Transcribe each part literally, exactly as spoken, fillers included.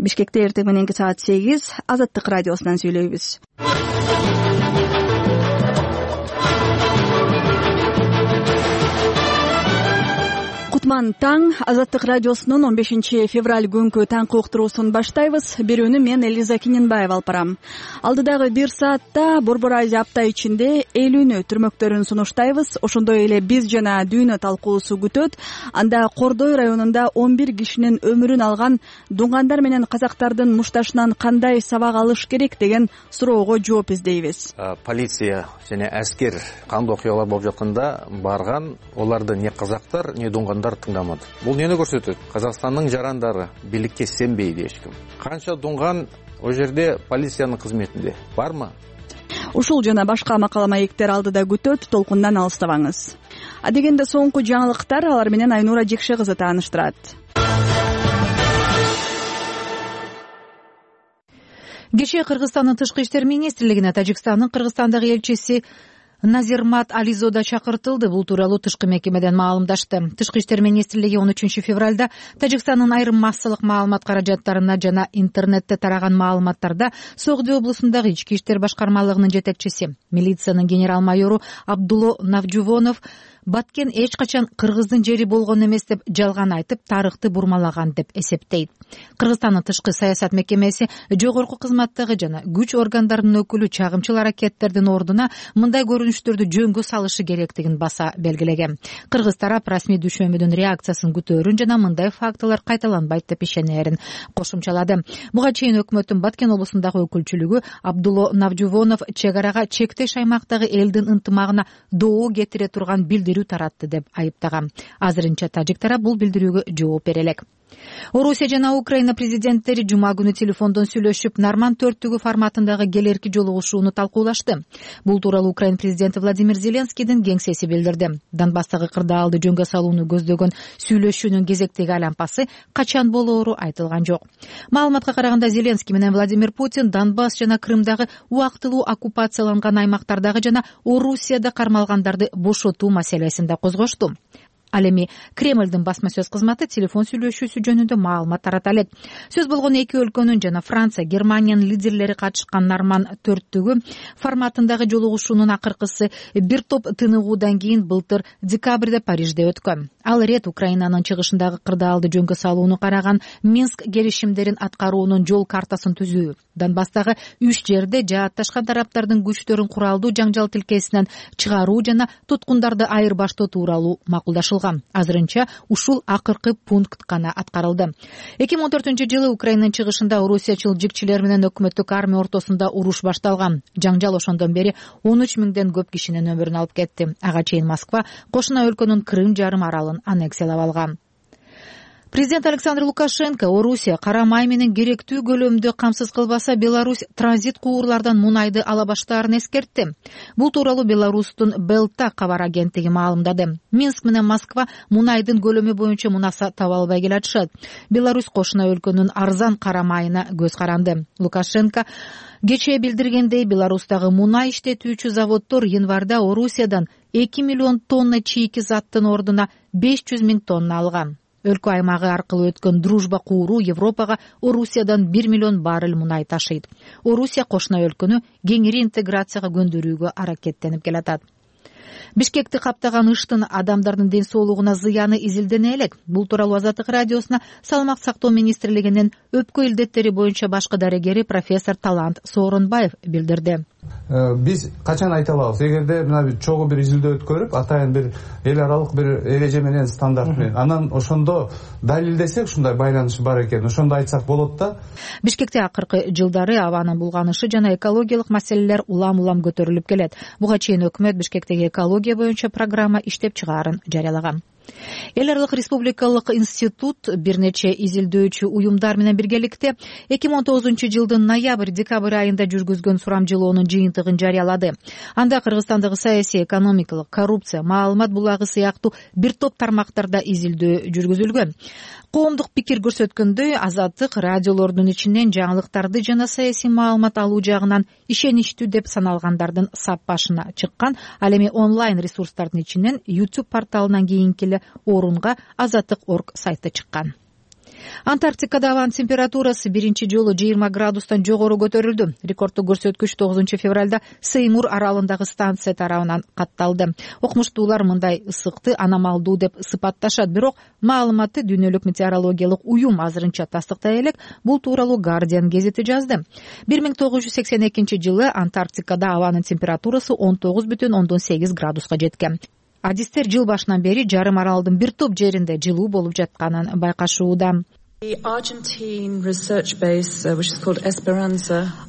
Бишкекте эртең мененки саат сегиз Азаттык радиосунан сүйлөйбүз. Кутман таң. Азаттык радиосунун он бешинчи февраль күнкү таңкы уктуруусун баштайбыз. Берүүнү мен Элиза Киненбаева алып барам. Алдыдагы бир саатта Борбор Азия апта ичинде элүүнү түрмөктөрүн сунуштайбыз. Ошондой эле биз жана дүйнө талкуусу күтөт. Анда Кордой районунда он бир кишинин өмүрүн алган дуңгандар менен казактардын мушташынан кандай сабак алыш керек деген суроого жооп издейбиз. Полиция жана аскер кандуу окуялар болуп жатканда барган, оларды не казактар, не дуңгандар тыңдамады. Бул эмнени көрсөтөт? Казакстандын жарандары бийликке сенбейди эчким. Канча дуңган о жерде полициянын кызметинде бармы? Ушул жана башка макала маектер алдыда күтөт, толкундан алыстабаңыз. А дегенде соңку жаңылыктар, алар менен Айнура Жекше кызы тааныштырат. Кечээ Кыргызстандын тышкы иштер министрлигине Тажикстандын Кыргызстандагы элчиси Назирмат Ализода чакыртылды. Бул тууралуу тышкы мекемеден маалымдашты. Тышкы иштер министрлиги он үчүнчү февралда Тажикстандын айрым массалык маалымат каражаттарына жана интернетте тараган маалыматтарда Согди облусундагы ички иштер башкармалыгынын жетекчиси, милициянын генерал-майору Абдулло Навжувонов Баткен эч качан кыргыздын жери болгон эмес деп жалган айтып, тарыхты бурмалаган деп эсептейт. Кыргызстандын тышкы саясат мекемеси жогорку кызматтагы жана күч органдарынын өкүлү чагымчыл аракеттердин ордуна мындай көрүнүштөрдү жөнгө салышы керектигин баса белгилеген. Кыргыз тарап расмий düşөмүдүн реакциясын күтөөрүн жана мындай фактылар кайталанбайт деп ишенерин кошумчалады. Буга чейин өкмөттүн Баткен облусундагы өкүлчүлүгү Абдулло Навжувонов чек арага чектеш аймактагы элдин ынтымагына доо кетире турган билдирүү таратты деп айыптаган. Азырынча тажик тарап бул билдирүүгө жооп бере элек. Орусия жана Украина президенттери жума күнү телефондон сүйлөшүп, Норманд төрттүгү форматындагы келерки жолугушууну талкуулашты. Бул тууралуу Украина президенти Владимир Зеленскийдин кеңсеси билдирди. Донбасстагы кырдаалды жөнгө салууну көздөгөн сүйлөшүүнүн кезектеги айлампасы качан болоору айтылган жок. Маалыматка караганда Зеленский менен Владимир Путин Донбасс жана Крымдагы убактылуу оккупацияланган аймактардагы жана Орусияда кармалгандарды бошотуу маселесин да козгошту. Ал эми Кремлдин басма сөз кызматы телефон сүйлөшүүсү жөнүндө маалымат тарата элек. Сөз болгон эки өлкөнүн жана Франция, Германиянын лидерлери катышкан Норманд төрттүгү форматындагы жолугушуунун акыркысы бир топ тыныгуудан кийин былтыр декабрда Парижде өткөн. Ал ирет Украинанын чыгышындагы кырдаалды жөнгө салууну караган Минск келишимдерин аткаруунун жол картасын түзүү, Донбасстагы үч жерде жаатташкан тараптардын күчтөрүн куралдуу жаңжал тилкесинен чыгаруу жана туткундарды айырбаштоо тууралуу макулдашылган. Азырынча ушул акыркы пункт гана аткарылды. эки миң он төртүнчү жылы Украинанын чыгышында орусиячыл жигчилер менен өкмөттүк армия ортосунда уруш башталган. Жаңжал ошондон бери он үч миңден көп кишинин өмүрүн алып кетти. Ага чейин Москва кошуна өлкөнүн Крым жарым аралын аннексиялап алган. Президент Александр Лукашенко Орусия кара май менен керектүү көлөмдө камсыз кылбаса, Беларусь транзит куурлардан мунайды ала баштаарын эскертти. Бул тууралуу Беларустун Белта кабар агенттиги маалымдады. Минск менен Москва мунайдын көлөмү боюнча мунаса таба албай келатышат. Беларусь кошуна өлкөнүн арзан кара майына көз каранды. Лукашенко кечээ билдиргендей, Беларустагы мунай иштетүүчү заводдор январда Орусиядан эки миллион тонна чийки заттын ордуна беш жүз миң тонна алган. Өлкө аймагы аркылуу өткөн дружба кууру Европага Орусиядан бир миллион баррель мунай ташыйт. Орусия кошуна өлкөнү кеңири интеграцияга көндүрүүгө аракеттенип келатат. Бишкекти каптаган ыштын адамдардын ден соолугуна зыяны изилдене элек. Бул тууралуу Азаттык радиосуна Саламак сактоо министрлигинин өпкө илдеттери боюнча башкы дарегери профессор Талант Сооронбаев билдирди. Биз качан айта алабыз, эгерде мына чогуу бир изилдөө өткөрүп, атайын бир эл аралык бир эреже менен, стандарт менен, анан ошондо далилдесек ушундай байланыш бар экен, ошондо айтсак болот да. Бишкекте акыркы жылдары абанын булганышы жана экологиялык маселелер улам-улам көтөрүлүп келет. Буга чейин өкмөт Бишкектеги экология боюнча программа иштеп чыгаарын жарыялаган. Эл аралык республикалык институт бир нече изилдөөчү уюмдар менен биргеликте эки миң он тогузунчу жылдын ноябрь-декабрь айында жүргүзгөн сурамжылоонун жыйынтыгын жарыялады. Анда Кыргызстандагы саясий, экономикалык, коррупция, маалымат булагы сыяктуу бир топ тармактарда изилдөө жүргүзүлгөн. Коомдук пикир көрсөткөндөй, Азаттык радиолордун ичинен жаңылыктарды жана саясий маалымат алуу жагынан ишеничтүү деп саналгандардын сап башына чыккан. Ал эми онлайн ресурстардын ичинен YouTube порталынан кийинки орунга Азаттык точка орг сайты чыккан. Антарктикада абанын температурасы биринчи жолу жыйырма градустан жогору көтөрүлдү. Рекорддук көрсөткүч тогузунчу февралда Сеймур аралындагы станция тарабынан катталды. Окумуштуулар мындай ысыкты аномалдуу деп сыпатташат, бирок маалыматты дүйнөлүк метеорологиялык уюм азырынча тастыктай элек. Бул тууралуу Guardian гезити жазды. бир миң тогуз жүз сексен экинчи жылы Антарктикада абанын температурасы он тогуз бүтүн ондон сегиз градуска жеткен. Адистер жыл башынан бери жарым аралдын бир топ жеринде жылуу болуп жатканын байкашууда.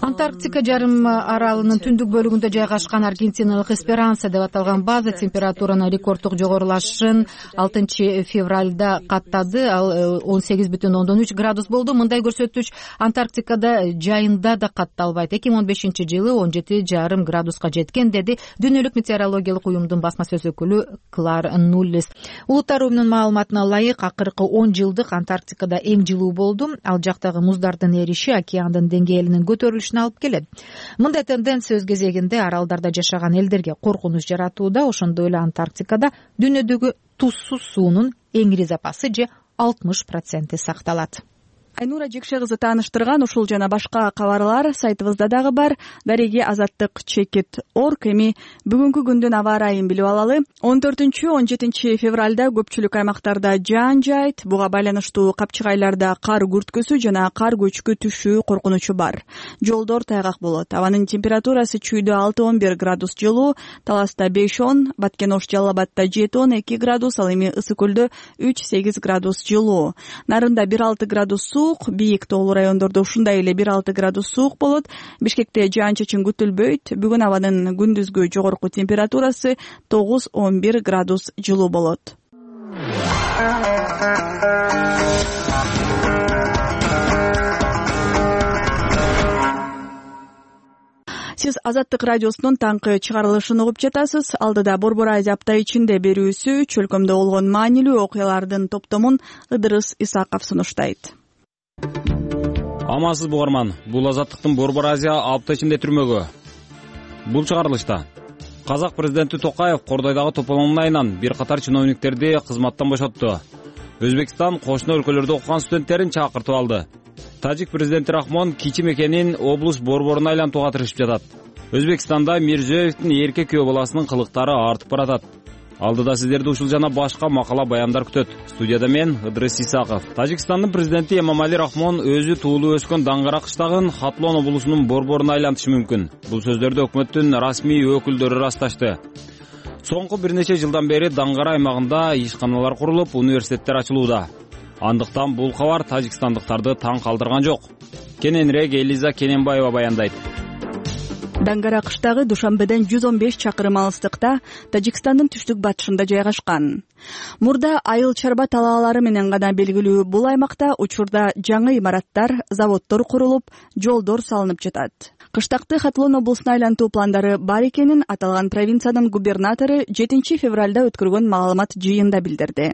Антарктика жарым аралынын түндүк бөлүгүндө жайгашкан Аргентиналык Эсперанса деп аталган база температуранын рекорддук жогорулашын алтынчы февралда каттады. Ал он сегиз бүтүн ондон үч градус болду. Мындай көрсөткүч Антарктикада жайында да катталбайт. эки миң он бешинчи жылы он жети жарым градуска жеткен, деди дүйнөлүк метеорологиялык уюмдун басма сөз өкүлү Клар Нуллис. Улуттар уюмунун маалыматына ылайык, акыркы он жылдык Антарктикада эң жылуу болду. Ал жактагы муздардын эриши океандын деңгээлинин көтөрүлүшүнө алып келет. Мындай тенденция өз кезегинде аралдарда жашаган элдерге коркунуч жаратууда. Ошондой эле Антарктикада дүйнөдөгү тузсуз суунун эңири запасы же алтымыш проценти сакталат. Айнура Жекше кызы тааныштырган ушул жана башка кабарлар сайтыбызда дагы бар. Дареги азаттык чекит орг. Эми бүгүнкү күндүн аба ырайын билип алалы. он төртүнчү он жетинчи февралда көпчүлүк аймактарда жаан жайт. Буга байланыштуу капчыгайларда кар күрткөсү жана кар көчкү түшүү коркунучу бар. Жолдор тайгак болот. Абанын температурасы чүйдө алты он бир градус жылуу, Таласта беш он, Баткен-Ош Жалал Абадта жети он эки градус, ал эми Ысык көлдө үч сегиз градус жылуу. Нарында бир алты градус суук, бийик тоолуу райондордо ушундай эле бир алты градус суук болот. Бишкекте жаан-чачын күтүлбөйт. Бүгүн абанын күндүзгү жогорку температурасы тогуз он бир градус жылуу болот. Сиз Азаттык радиосунун таңкы чыгарылышын угуп жатасыз. Алдыда Борбор Азия апта ичинде берүүсү чөлкөмдө болгон маанилүү окуялардын топтомун Ыдырыс Исаков сунуштайт. Амансыз бугарман, бул Азаттыктын Борбор Азия апта ичинде түрмөгү. Бул чыгарылышта Казак президенти Токаев Кордойдогу тополонун айынан бир катар чиновниктерди кызматтан бошотту. Өзбекстан кошуна өлкөлөрдө окуган студенттерин чакыртып алды. Тажик президенти Рахмон кичи мекенин облус борборуна айлантууга тырышып жатат. Өзбекстанда Мирзиёевдин эрке күйөө баласынын кылыктары артып баратат. Алдыда сиздерди ушул жана башка макала баяндар күтөт. Студияда мен Ыдырыс Исаков. Тажикстандын президенти Эмомали Рахмон өзү туулуу өскөн Даңгара кыштагын Хатлон облусунун борборуна айлантышы мүмкүн. Бул сөздөрдү өкмөттүн расмий өкүлдөрү ырасташты. Соңку бир нече жылдан бери Даңгара аймагында ишканалар курулуп, университеттер ачылууда. Андыктан бул кабар тажикстандыктарды таң калтырган жок. Кененирээк Элиза Кененбаева баяндайт. Даңгара кыштагы Душанбеден жүз он беш чакырым алыстыкта Тажикстандын түштүк батышында жайгашкан. Мурда айыл чарба талаалары менен гана белгилүү бул аймакта учурда жаңы имараттар, заводдор курулуп, жолдор салынып жатат. Кыштакты Хатлон облусуна айлантуу пландары бар экенин аталган провинциянын губернатору жетинчи февралда өткөргөн маалымат жыйында билдирди.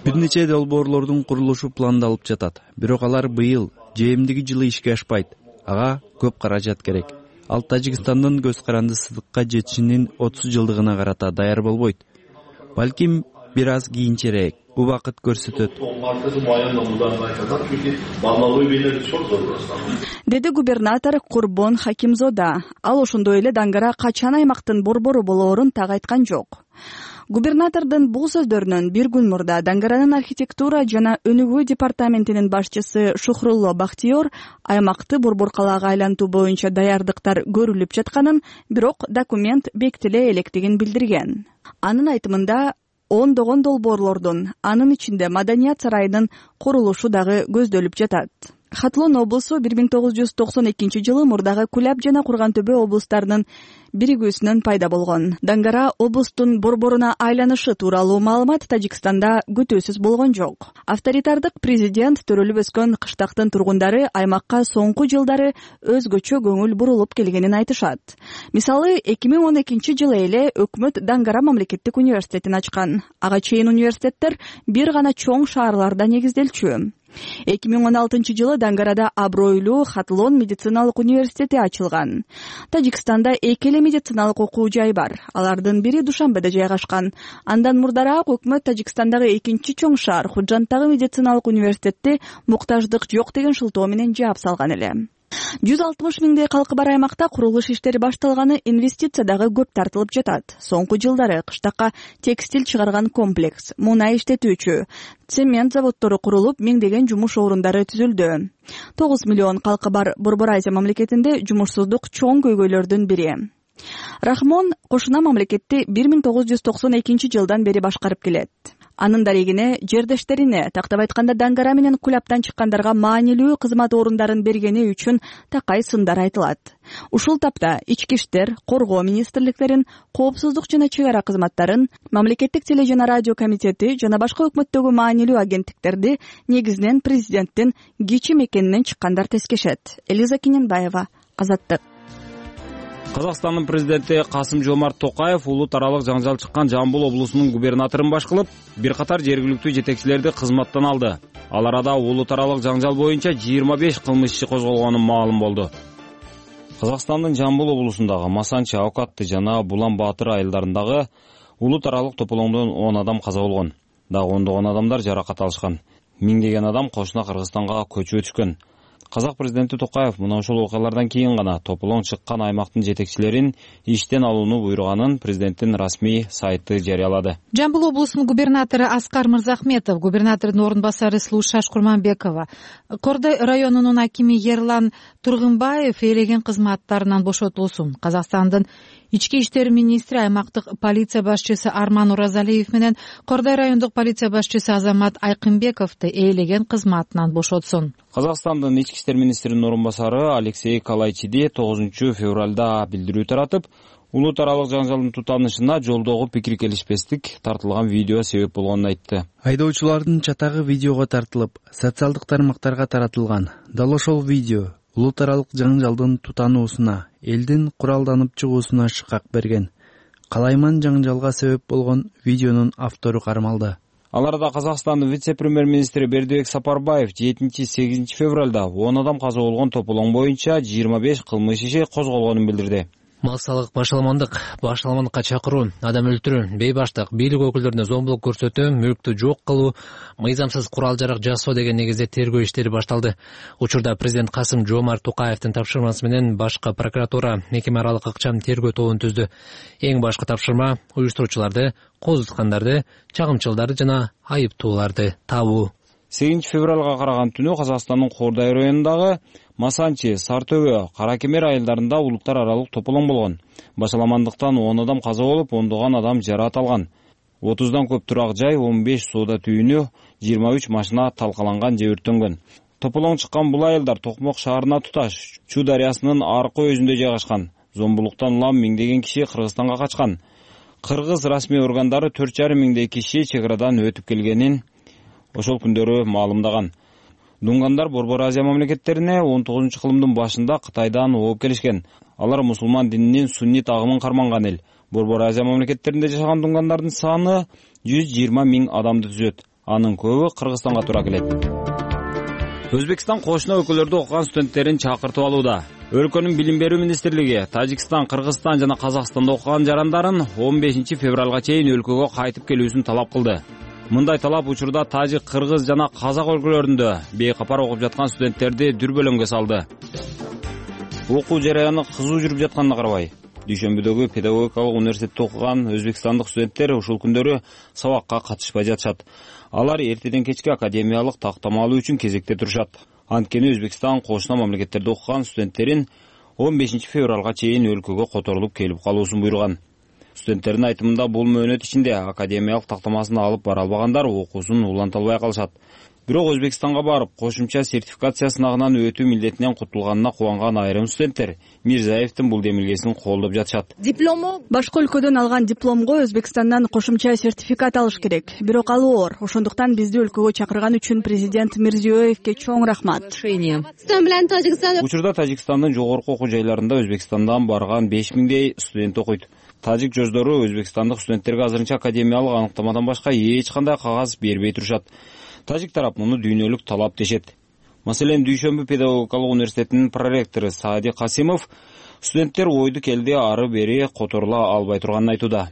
Бир нече долбоорлордун курулушу пландалып жатат. Бирок алар быйыл же эмдиги жылы ишке ашпайт. Ага көп каражат керек. Ал Тажикстандын көз каранды сыдыкка жетишинин отуз жылдыгына карата даяр болбойт. Балким бир аз кийинчерээк. Убакыт көрсөтөт. Деди губернатор Курбон Хакимзода. Ал ошондой эле Даңгара качан аймактын борбору болоорун так айткан жок. Губернатордун бул сөздөрүнөн бир күн мурда Даңгаранын архитектура жана өнүгүү департаментинин башчысы Шухрулло Бахтиёр аймакты борбор калаага айлантуу боюнча даярдыктар көрүлүп жатканын, бирок документ бекитиле электигин билдирген. Анын айтымында ондогон долбоорлордун, анын ичинде Маданият сарайынын курулушу дагы көздөлүп жатат. Хатлон облусу бир миң тогуз жүз токсон экинчи жылы мурдагы Куляб жана Курган Төбө облустарынын биригүүсүнөн пайда болгон. Даңгара облустун борборуна айланышы тууралуу маалымат Тажикстанда күтүүсүз болгон жок. Авторитардык президент төрөлүп өскөн кыштактын тургундары аймакка соңку жылдары өзгөчө көңүл бурулуп келгенин айтышат. Мисалы, эки миң он экинчи жылы эле өкмөт Даңгара мамлекеттик университетин ачкан. Ага чейин университеттер бир гана чоң шаарларда негизделчү. эки миң он алтынчы жылы Дангарада абройлуу Хатлон медициналык университети ачылган. Тажикстанда эки эле медициналык окуу жай бар. Алардын бири Душанбеде жайгашкан. Андан мурдараак өкмөт Тажикстандагы экинчи чоң шаар Худжанттагы медициналык университетти муктаждык жок деген шылтоо менен жаап салган эле. жүз алтымыш миңдей калкы бар аймакта курулуш иштери башталганы, инвестиция дагы көп тартылып жатат. Соңку жылдары кыштакка текстиль чыгарган комплекс, мунай иштетүүчү, цемент заводдору курулуп, миңдеген жумуш орундары түзүлдү. тогуз миллион калкы бар Борбор Азия мамлекетинде жумушсуздук чоң көйгөйлөрдүн бири. Рахмон кошуна мамлекетти бир миң тогуз жүз токсон экинчи жылдан бери башкарып келет. Анын дарегине, жердештерине, тактап айтканда Дангара менен Кулаптан чыккандарга маанилүү кызмат орундарын бергени үчүн такай сындар айтылат. Ушул тапта ички иштер, коргоо министрликтерин, коопсуздук жана чек ара кызматтарын, мамлекеттик теле жана радио комитети жана башка өкмөттөгү маанилүү агенттиктерди негизинен президенттин кичи мекенинен чыккандар тескешет. Элиза Киненбаева, Азаттык. Казакстандын президенти Касым-Жомарт Токаев улут аралык жаңжал чыккан Жамбыл облусунун губернаторун баш кылып, бир катар жергиликтүү жетекчилерди кызматтан алды. Ал арада улут аралык жаңжал боюнча жыйырма беш кылмыш иши козголгону маалым болду. Казакстандын Жамбыл облусундагы Масанчы, Аукатты жана Булан Баатыр айылдарындагы улут аралык тополоңдон он адам каза болгон. Дагы ондогон адамдар жаракат алышкан. Миңдеген адам кошуна Кыргызстанга көчүп өтүшкөн. Казак президенти Токаев мына ошол окуялардан кийин гана тополоң чыккан аймактын жетекчилерин иштен алууну буйруганын президенттин расмий сайты жарыялады. Жамбыл облусунун губернатору Аскар Мырзахметов, губернатордун орун басары Слушаш Курманбекова, Кордой районунун акими Ерлан Тургунбаев ээлеген кызматтарынан бошотулсун. Казакстандын ички иштер министри, аймактык полиция башчысы Арман Уразалиев менен Кордой райондук полиция башчысы Азамат Айкынбековду ээлеген кызматынан бошотсун. Казакстандын ички иштер министринин орун басары Алексей Калайчиди тогузунчу февралда билдирүү таратып, улут аралык жаңжалдын тутанышына жолдогу пикир келишпестик тартылган видео себеп болгонун айтты. Айдоочулардын чатагы видеого тартылып, социалдык тармактарга таратылган. Дал ошол видео улут аралык жаңжалдын тутануусуна, элдин куралданып чыгуусуна шыкак берген. Калайман жаңжалга себеп болгон видеонун автору кармалды. Ал арада Казакстандын вице-премьер-министри Бердибек Сапарбаев жетинчи-сегизинчи февралда он адам каза болгон тополоң боюнча жыйырма беш кылмыш иши козголгонун билдирди. Массалык башаламандык, башаламандыкка чакыруу, адам өлтүрүү, бейбаштык, бийлик өкүлдөрүнө зомбулук көрсөтүү, мүлктү жок кылуу, мыйзамсыз курал жарак жасоо деген негизде тергөө иштери башталды. Учурда президент Касым-Жомарт Токаевдин тапшырмасы менен башкы прокуратура мекеме аралык ыкчам тергөө тобун түздү. Эң башкы тапшырма уюштуруучуларды, кол туткандарды, чагымчылдарды жана айыптууларды табуу. сегизинчи февралга караган түнү Казакстандын Кордой районундагы Масанчы, Сартөбө, Каракемер айылдарында улуттар аралык тополоң болгон. Башаламандыктан он адам каза болуп, ондогон адам жаракат алган. отуздан көп турак жай, он беш соода түйүнү, жыйырма үч машина талкаланган же өрттөнгөн. Тополоң чыккан бул айылдар Токмок шаарына туташ Чу дарыясынын аркы өзүндө жайгашкан. Зомбулуктан улам миңдеген киши Кыргызстанга качкан. Кыргыз расмий органдары төрт жарым миңдей киши чек арадан өтүп келгенин ошол күндөрү маалымдаган. Дунгандар Борбор Азия мамлекеттерине он тогузунчу кылымдын башында Кытайдан ооп келишкен. Алар мусулман дининин суннит агымын карманган эл. Борбор Азия мамлекеттеринде жашаган дунгандардын саны жүз жыйырма миң адамды түзөт. Анын көбү Кыргызстанга туура келет. Өзбекстан кошуна өлкөлөрдө окуган студенттерин чакыртып алууда. Өлкөнүн билим берүү министрлиги Тажикстан, Кыргызстан жана Казакстанда окуган жарандарын он бешинчи февралга чейин өлкөгө кайтып келүүсүн талап кылды. Мындай талап учурда тажик, кыргыз жана казак өлкөлөрүндө бейкапар окуп жаткан студенттерди дүрбөлөңгө салды. Окуу жараяны кызуу жүрүп жатканына карабай, Дүйшөмбүдөгү педагогикалык университетте окуган өзбекстандык студенттер ушул күндөрү сабакка катышпай жатышат. Алар эртеден кечке академиялык тактама алуу үчүн кезекте турушат. Анткени Өзбекстан кошуна мамлекеттерде окуган студенттерин он бешинчи февралга чейин өлкөгө которулуп келип калуусун буйруган. Студенттердин айтымында бул мөөнөт ичинде академиялык тактамасын алып бара албагандар окуусун уланта албай калышат. Бирок Өзбекстанга барып, кошумча сертификация сынагынан өтүү милдетинен кутулганына кубанган айрым студенттер Мирзаевдин бул демилгесин колдоп жатышат. Диплому башка өлкөдөн алган дипломго Өзбекстандан кошумча сертификат алыш керек. Бирок ал оор. Ошондуктан бизди өлкөгө чакырган үчүн президент Мирзиёевке чоң рахмат. Учурда Тажикстандын жогорку окуу жайларында Өзбекстандан барган беш миңдей студент окуйт. Тажик жоздору өзбекстандык студенттерге азырынча академиялык аныктамадан башка эч кандай кагаз бербей турушат. Тажик тарап муну дүйнөлүк талап дешет. Маселен, Дүйшөмбү педагогикалык университетинин проректору Саади Касимов студенттер ойду келди ары бери которула албай турганын айтууда.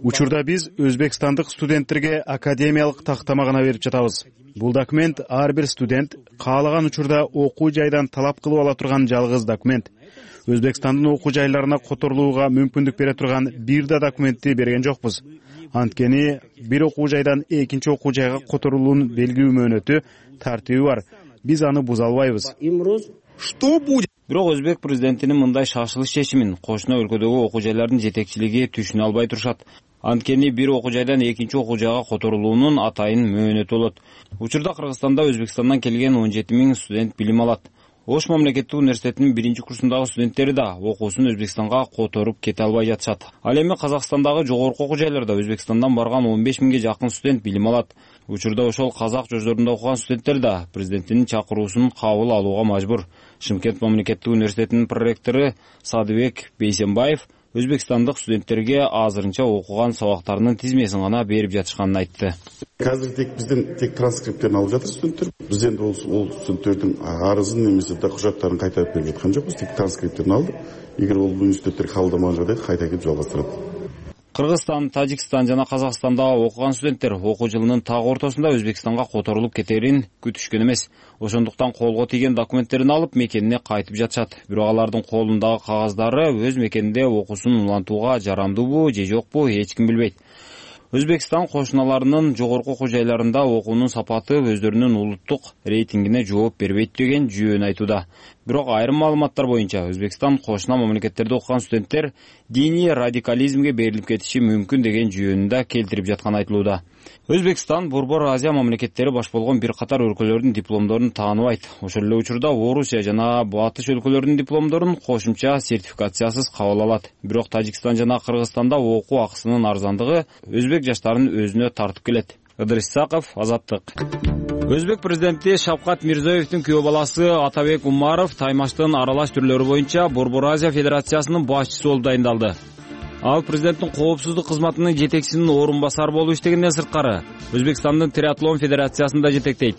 Учурда биз өзбекстандык студенттерге академиялык тактама гана берип жатабыз. Бул документ ар бир студент каалаган учурда окуу жайдан талап кылып ала турган жалгыз документ. Өзбекстандын окуу жайларына которулууга мүмкүндүк бере турган бир да документти берген жокпуз. Анткени бир окуу жайдан экинчи окуу жайга которулуунун белгилүү мөөнөтү, тартиби бар. Биз аны буза албайбыз. Бирок өзбек президентинин мындай шашылыш чечимин кошуна өлкөдөгү окуу жайлардын жетекчилиги түшүнө албай турушат. Анткени бир окуу жайдан экинчи окуу жайга которулуунун атайын мөөнөтү болот. Учурда Кыргызстанда Өзбекстандан келген он жети миң студент билим алат. Ош мамлекеттик университетинин биринчи курсундагы студенттери да окуусун Өзбекстанга которуп кете албай жатышат. Ал эми Казакстандагы жогорку окуу жайларда Өзбекстандан барган он беш миңге жакын студент билим алат. Учурда ошол казак жождорунда окуган студенттер да президенттин чакыруусун кабыл алууга мажбур. Шымкент мамлекеттик университетинин проректору Садыбек Бейсенбаев өзбекстандык студенттерге азырынча окуган сабактарынын тизмесин гана берип жатышканын айтты. Азыр тек бизден тек транскрипттерин алып жатыр студенттер. Биз энди ол студенттердин арызын немесе да кужаттарын кайтарып берип жаткан жокпуз, тек транскрипттерин алдык. Эгер ол университеттер кабылдамаган жагда кайта келип жалгастырат. Кыргызстан, Тажикстан жана Казакстанда окуган студенттер окуу жылынын так ортосунда Өзбекстанга которулуп кетерин күтүшкөн эмес. Ошондуктан колго тийген документтерин алып мекенине кайтып жатышат. Бирок алардын колундагы кагаздары өз мекенинде окуусун улантууга жарамдуубу же жокпу эч ким билбейт. Өзбекстан кошуналарынын жогорку окуу жайларында окуунун сапаты өздөрүнүн улуттук рейтингине жооп бербейт деген жүйөн айтууда. Бирок айрым маалыматтар боюнча Өзбекстан кошуна мамлекеттерде окуган студенттер диний радикализмге берилип кетиши мүмкүн деген жүйөнүн да келтирип жатканы айтылууда. Өзбекстан Борбор Азия мамлекеттери баш болгон бир катар өлкөлөрдүн дипломдорун тааныбайт. Ошол эле учурда Орусия жана Батыш өлкөлөрүнүн дипломдорун кошумча сертификациясыз кабыл алат. Бирок Тажикстан жана Кыргызстанда окуу акысынын арзандыгы өзбек жаштарын өзүнө тартып келет. Ыдырыс Исаков, Азаттык. Өзбек президенти Шавкат Мирзиёевдин күйөө баласы Атабек Умаров таймаштын аралаш түрлөрү боюнча Борбор Азия Федерациясынын башчысы болуп дайындалды. Ал президенттин коопсуздук кызматынын жетекчисинин орун басары болуп иштегенден сырткары Өзбекстандын триатлон федерациясында жетектейт.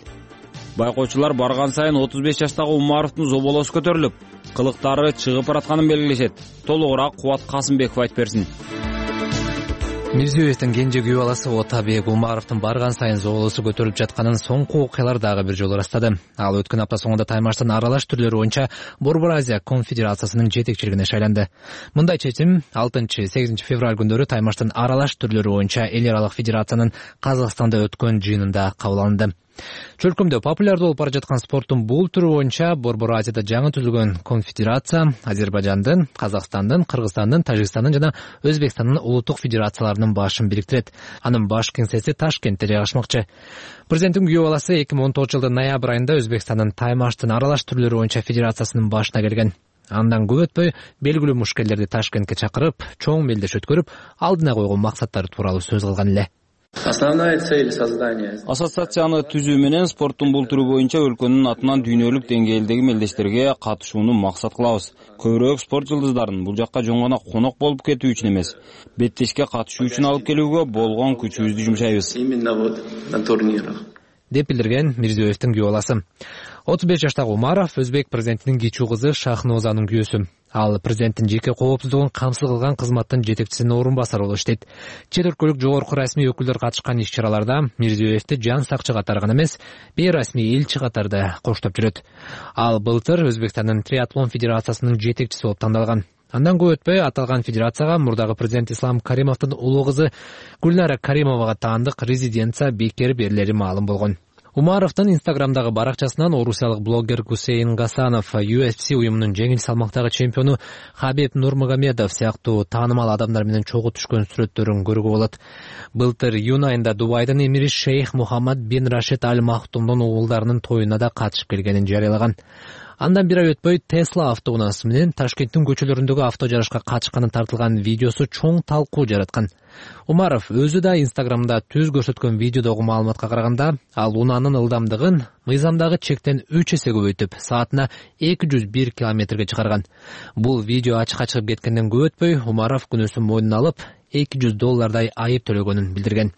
Байкоочулар барган сайын отуз беш жаштагы Умаровдун зоболосу көтөрүлүп, кылыктары чыгып баратканын белгилешет. Толугураак Кубат Касымбеков айтып берсин. Мирзиёевдин кенже күйөө баласы Отабек Умаровдун барган сайын зоболосу көтөрүлүп жатканын соңку окуялар дагы бир жолу ырастады. Ал өткөн апта соңунда таймаштын аралаш түрлөрү боюнча Борбор Азия конфедерациясынын жетекчилигине шайланды. Мындай чечим алтынчы сегизинчи февраль күндөрү таймаштын аралаш түрлөрү боюнча эл аралык федерациянын Казакстанда өткөн жыйынында кабыл алынды. Чөлкөмдө популярдуу болуп бара жаткан спорттун бул түрү боюнча Борбор Азияда жаңы түзүлгөн конфедерация Азербайжандын, Казакстандын, Кыргызстандын, Тажикстандын жана Өзбекстандын улуттук федерацияларынын башын бириктирет. Анын баш кеңсеси Ташкентте жайгашмакчы. Президенттин күйөө баласы эки миң он тогузунчу жылдын ноябрь айында Өзбекстандын таймаштын аралаш түрлөрү боюнча федерациясынын башына келген. Андан көп өтпөй белгилүү мушкелдерди Ташкентке чакырып, чоң мелдеш өткөрүп, алдына койгон максаттары тууралуу сөз кылган эле. Основная цель создания ассоциацияны түзүү менен спорттун бул түрү боюнча өлкөнүн атынан дүйнөлүк деңгээлдеги мелдештерге катышууну максат кылабыз. Көбүрөөк спорт жылдыздарын бул жакка жөн гана конок болуп кетүү үчүн эмес, беттешке катышуу үчүн алып келүүгө болгон күчүбүздү жумшайбыз. Именно вот на турнирах. Деп билдирген Мирзиёевдин күйөө баласы. отуз беш жаштагы Умаров өзбек президентинин кичүү кызы Шахнозанын күйөөсү. Ал президенттин жеке коопсуздугун камсыз кылган кызматтын жетекчисинин орун басары болуп иштейт. Чет өлкөлүк жогорку расмий өкүлдөр катышкан иш-чараларда Мирзиёевди жан сакчы катары гана эмес, бейрасмий элчи катарда коштоп жүрөт. Ал былтыр Өзбекстандын триатлон федерациясынын жетекчиси болуп тандалган. Андан көп өтпөй аталган федерацияга мурдагы президент Ислам Каримовдун улуу кызы Гүлнара Каримовага таандык резиденция бекер берилери маалым болгон. Умаровдун инстаграмдагы баракчасынан орусиялык блогер Гусейн Гасанов, ю эф си уюмунун жеңил салмактагы чемпиону Хабиб Нурмагомедов сыяктуу таанымал адамдар менен чогуу түшкөн сүрөттөрүн көрүүгө болот. Былтыр июнь айында Дубайдын эмири Шейх Мухаммад бин Рашид Аль Махтумдун уулдарынын тоюна да катышып келгенин жарыялаган. Андан бир ай өтпөй Tesla автоунаасы менен Ташкенттин көчөлөрүндөгү авто жарышка катышканы тартылган видеосу чоң талкуу жараткан. Умаров өзү да инстаграмда түз көрсөткөн видеодогу маалыматка караганда, ал унаанын ылдамдыгын мыйзамдагы чектен үч эсе көбөйтүп, саатына эки жүз бир километрге чыгарган. Бул видео ачыкка чыгып кеткенден көп өтпөй, Умаров күнөөсүн мойнуна алып, эки жүз доллардай айып төлөгөнүн билдирген.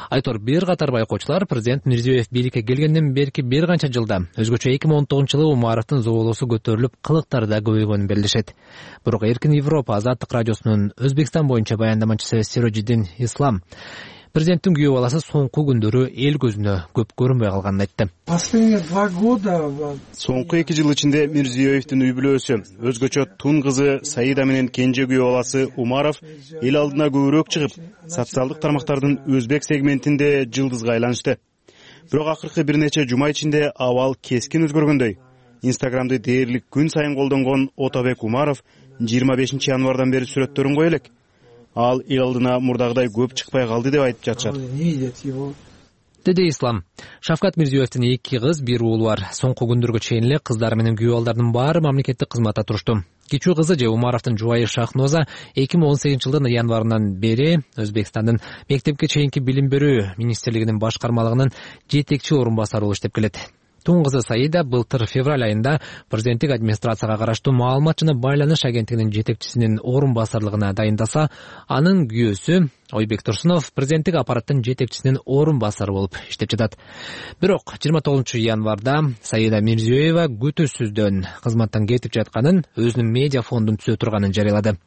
Айтор, бир катар байкоочулар президент Мирзиёев бийликке келгенден берки бир канча жылда өзгөчө эки миң он тогузунчу жылы Умаровдун зоболоосу көтөрүлүп, кылыктары да көбөйгөнүн белгилешет. Бирок Эркин Европа Азаттык радиосунун Өзбекстан боюнча баяндамачысы Сирожиддин Ислам президенттин күйөө баласы соңку күндөрү эл көзүнө көп көрүнбөй калганын айтты. Последние два года Соңку эки жыл ичинде Мирзиёевдин үй бүлөсү, өзгөчө тун кызы Саида менен кенже күйөө баласы Умаров эл алдына көбүрөөк чыгып, социалдык тармактардын өзбек сегментинде жылдызга айланышты. Бирок акыркы бир нече жума ичинде абал кескин өзгөргөндөй. Инстаграмды дээрлик күн сайын колдонгон Отобек Умаров жыйырма бешинчи январдан бери сүрөттөрүн кое элек. Ал эл алдына мурдагыдай көп чыкпай калды деп айтып жатышат. Деди Ислам. Шавкат Мирзиёевдин эки кыз, бир уулу бар. Соңку күндөргө чейин эле кыздары менен күйөө балдардын баары мамлекеттик кызматта турушту. Кичүү кызы же Умаровдун жубайы Шахноза эки миң он сегизинчи жылдын январынан бери Өзбекстандын мектепке чейинки билим берүү министрлигинин башкармалыгынын жетекчи орун басары болуп иштеп келет. Тун кызы Саида былтыр февраль айында президенттик администрацияга караштуу маалымат жана байланыш агенттигинин жетекчисинин орун басарлыгына дайындаса, анын күйөөсү Ойбек Турсунов президенттик аппараттын жетекчисинин орун басары болуп иштеп жатат. Бирок жыйырма тогузунчу январда Саида Мирзиёева күтүүсүздөн кызматтан кетип жатканын, өзүнүн медиа фондун түзө турганын жарыялады.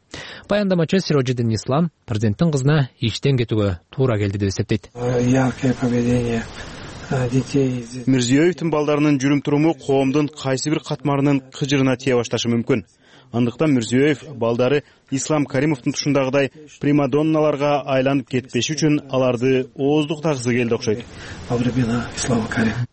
Баяндамачы Сирожиддин Ислам президенттин кызына иштен кетүүгө туура келди деп эсептейт. Мирзиёевдин балдарынын жүрүм-туруму коомдун кайсы бир катмарынын кыжырына тие башташы мүмкүн. Андыктан Мирзиёев балдары Ислам Каримовдун тушундагыдай примадонналарга айланып кетпеши үчүн аларды ооздуктагысы келди окшойт.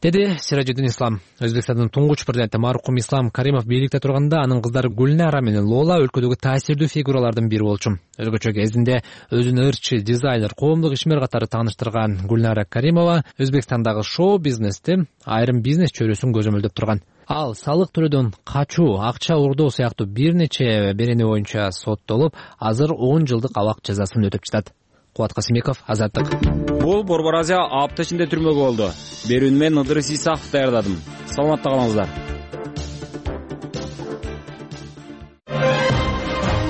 Деди Сирожиддин Ислам. Өзбекстандын туңгуч президенти мархум Ислам Каримов бийликте турганда анын кыздары Гүлнара менен Лола өлкөдөгү таасирдүү фигуралардын бири болчу. Өзгөчө кезинде өзүн ырчы, дизайнер, коомдук ишмер катары тааныштырган Гүлнара Каримова Өзбекстандагы шоу-бизнести айрым бизнес чөйрөсүн көзөмөлдөп турган. Ал салык төлөөдөн качуу, акча урдоо сыяктуу бир нече берени боюнча соттолуп, азыр он жылдык абак жазасын өтөп жатат. Кубат Касымбеков, Азаттык. Бул Борбор Азия апта ичинде түрмөгө болду. Берүүнү мен Ыдырыс Исаков даярдадым. Саламатта калыңыздар.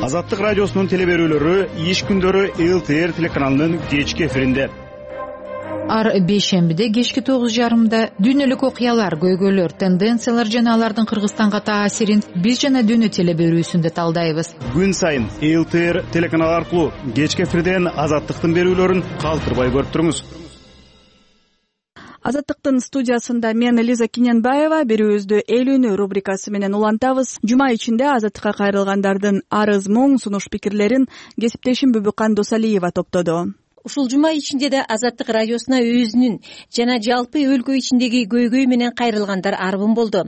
Азаттык радиосунун телеберүүлөрү иш күндөрү эл тэ эр телеканалынын кечки эфиринде. Ар бейшембиде кечки тогуз жарымда дүйнөлүк окуялар, көйгөйлөр, тенденциялар жана алардын Кыргызстанга таасирин биз жана дүйнө телеберүүсүндө талдайбыз. Күн сайын эл тэ эр телеканалы аркылуу кечки эфирден Азаттыктын берүүлөрүн калтырбай көрүп туруңуз. Азаттыктын студиясында мен Лиза Киненбаева, берүүбүздү эл үнү рубрикасы менен улантабыз. Жума ичинде Азаттыкка кайрылгандардын арыз, муң, сунуш пикирлерин кесиптешим Бүбүкан Досалиева топтоду. Ушул жума ичинде да Азаттык радиосуна өзүнүн жана жалпы өлкө ичиндеги көйгөй менен кайрылгандар арбын болду.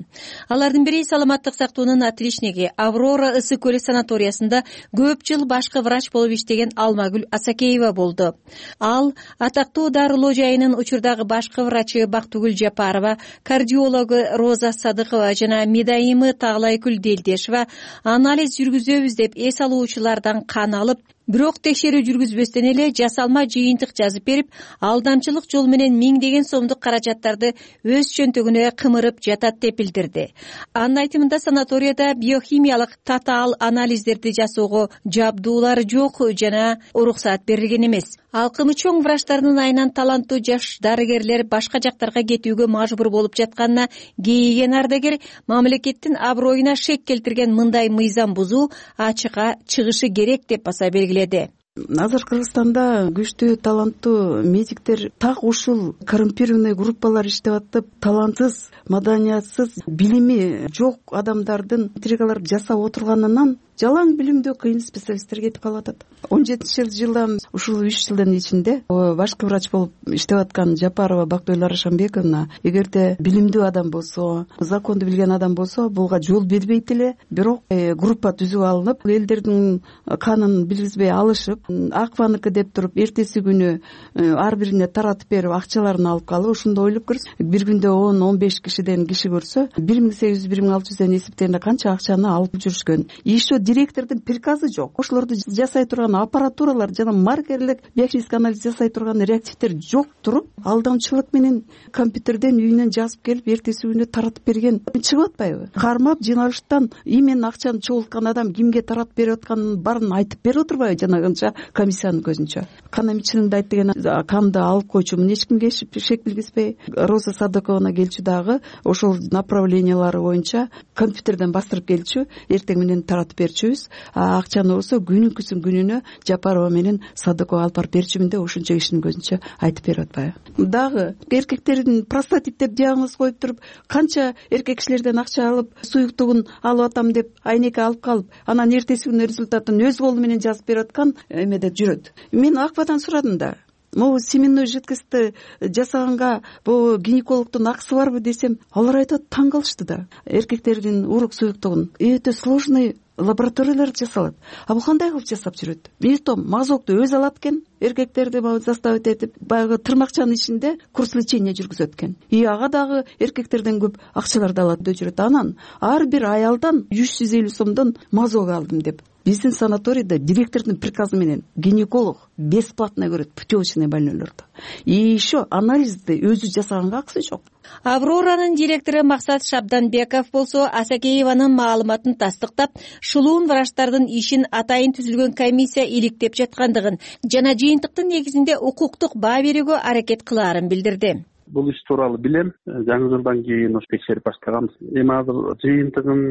Алардын бири саламаттык сактоонун отличниги Аврора ысык көлү санаториясында көп жыл башкы врач болуп иштеген Алмагүл Асакеева болду. Ал атактуу дарылоо жайынын учурдагы башкы врачы Бактыгүл Жапарова, кардиологу Роза Садыкова жана медайымы Таглайкүл Делдешева анализ жүргүзөбүз деп эс алуучулардан кан алып, бирок текшерүү жүргүзбөстөн эле жасалма жыйынтык жазып берип, алдамчылык жол менен миңдеген сомдук каражаттарды өз чөнтөгүнө кымырып жатат деп билдирди. Анын айтымында санаторияда биохимиялык татаал анализдерди жасоого жабдуулар жок жана уруксаат берилген эмес. Алкымы чоң врачтардын айынан таланттуу жаш дарыгерлер башка жактарга кетүүгө мажбур болуп жатканына кейиген ардагер мамлекеттин аброюна шек келтирген мындай мыйзам бузуу ачыкка чыгышы керек деп баса белгиледи. Азыр Кыргызстанда күчтүү таланттуу медиктер так ушул коррумпированный группалар иштеп атып, талантсыз, маданиятсыз, билими жок адамдардын интригаларды жасап отурганынан жалаң билимдүү кыйын специалисттер кетип калып атат. он жетинчи жылдан ушул үч жылдын ичинде башкы врач болуп иштеп аткан Жапарова Бактыгүл Арашанбековна эгерде билимдүү адам болсо, законду билген адам болсо, буга жол бербейт эле. Бирок группа түзүп алынып, элдердин канын билгизбей алышып, Акваныкы деп туруп, эртеси күнү ар бирине таратып берип, акчаларын алып калып, ошондо ойлоп көрсө, бир күндө он он беш кишиден киши көрсө, бир миң сегиз жүз бир миң алты жүздөн эсептегенде канча акчаны алып жүрүшкөн. Еще директордун приказы жок. Ошолорду жасай турган аппаратуралар жана маркерлик биохимический анализ жасай турган реактивдер жок туруп, алдамчылык менен компьютерден үйүнөн жазып келип, эртеси күнү таратып берген чыгып атпайбы? Кармап жыйналыштан имен акчаны чогулткан адам кимге таратып берип атканын баарын айтып берип отурбайбы жанагынча комиссиянын көзүнчө. Кан эмчилигинде айт деген канды алып койчумун, эч кимге шек билгизбей. Роза Садыковна келчү дагы ошол направлениялары боюнча компьютерден бастырып келчү, эртең менен таратып берчүбүз. Акчаны болсо күнүнкүсүн күнүнө Жапарова менен Садыкова алып барып берчүмүн деп ошончо кишинин көзүнчө айтып берип атпайбы. Дагы эркектердин простатит деп диагноз коюп туруп, канча эркек кишилерден акча алып, суюктугун алып атам деп айнеке алып калып, анан эртеси күнү результатын өз колу менен жазып берип аткан эмеде жүрөт. Мен Акбадан сурадым да, могу семенной жидкостьти жасаганга бул гинекологдун акысы барбы десем, алар айтат, таң калышты да. Эркектердин урук суюктугун өтө сложный лабораториялар жасалат. А бул кандай кылып жасап жүрөт? Бетом мазокту өзү алат экен, эркектерди заставить этип, баягы тырмакчанын ичинде курс лечения жүргүзөт экен. И ага дагы эркектерден көп акчаларды алат деп жүрөт. Анан ар бир аялдан үч жүз элүү сомдон мазок алдым деп. Биздин санаторийде директордун приказы менен гинеколог бесплатно көрөт путевочный больнойлорду. И еще анализди өзү жасаганга акысы жок. Авроранын директору Максат Шабданбеков болсо Асакееванын маалыматын тастыктап, шулуун врачтардын ишин атайын түзүлгөн комиссия иликтеп жаткандыгын жана жыйынтыктын негизинде укуктук баа берүүгө аракет кылаарын билдирди. Бул иш тууралуу билем. Жаңы жылдан кийин ош текшерип баштаганбыз. Эми азыр жыйынтыгын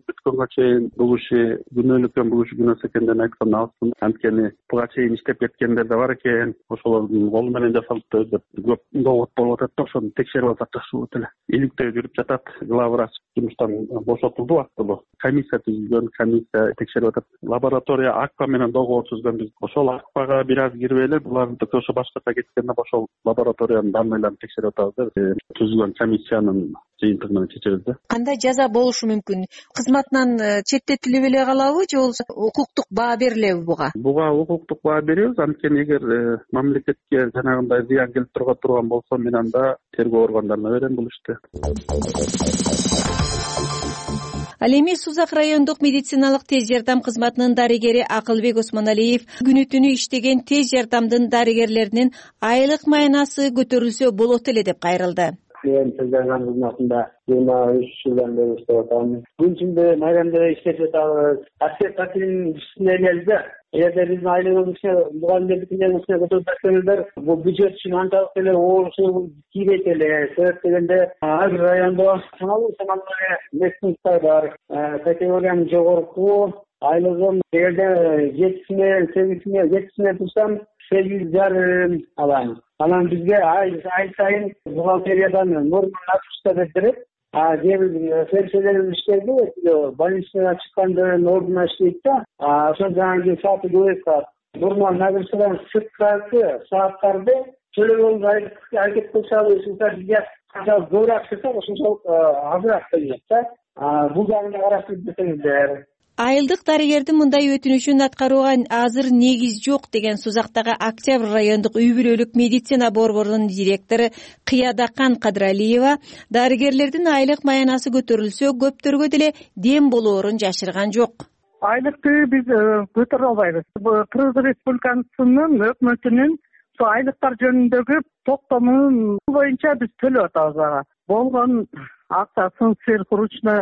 бүткөнгө чейин бул иши күнөөлүккөн бул иши күнөөс экенден айткан абсың. Анткени буга чейин иштеп кеткендер да бар экен. Ошолордун колу менен жасалыптыр деп көп довод болуп атат да, ошону текшерип алсак жакшы болот эле. Иликтөө жүрүп жатат. Главврач жумуштан бошотулду убактылуу. Комиссия түзүлгөн, комиссия текшерип атат. Лаборатория Акпа менен договор түзгөнбүз. Ошол Акпага бир аз кирбей эле буларды ошо башкача кеткенде ошол лабораториянын данныйларын текшерип түзүлгөн комиссиянын жыйынтыгы менен чечебиз да. Кандай жаза болушу мүмкүн? Кызматынан четтетилип эле калабы же болбосо укуктук баа берилеби буга? Буга укуктук баа беребиз. Анткени эгер мамлекетке жанагындай зыян келип турган болсо, мен анда тергөө органдарына берем бул ишти. Ал эми Сузак райондук медициналык тез жардам кызматынын дарыгери Акылбек Осмоналиев күнү түнү иштеген тез жардамдын дарыгерлеринин айлык маянасы көтөрүлсө болот эле деп кайрылды. Мен тез жардам кызматында жыйырма үч жылдан бери иштеп атам. Күн ичинде майрамда иштеп жатабыз. Аскер катынын ишине элебиз да. Эгерде биздин айлыгыбызга мугалимдердин ишине көтөрүп берсеңиздер, бул бюджет үчүн анчалык эле оорусу тийбейт эле. Себеп дегенде ар бир райондо саналуу саналуу местносттар бар. Категориянын жогорку айлыгым эгерде жетисине, сегизине, жетисине турсам сегиз жарым алам. Анан бизге ай сайын бухгалтериядан норма нагрузка деп берет. А кээ бир фельдшерлерибиз иштейди, больницадан чыккандын ордуна иштейт да. Ошо жаңы сааты көбөйүп калат. Норма нагрузкадан сырткары сааттарды төлөгөнгө аракет кылсабыз, бизге канчалык көбүрөөк чыкса, ошончолук азыраак төлөнөт да. Бул жагын да карап кетсеңиздер. Айылдык дарыгердин мындай өтүнүшүн аткарууга азыр негиз жок деген Сузактагы Октябрь райондук үй бүлөлүк медицина борборунун директору Кыядакан Кадралиева дарыгерлердин айлык маянасы көтөрүлсө көптөргө деле дем болоорун жашырган жок. Айлыкты биз көтөрө албайбыз. Кыргыз Республикасынын өкмөтүнүн айлыктар жөнүндөгү токтомун боюнча биз төлөп атабыз ага. Болгон акчасын сверхурочно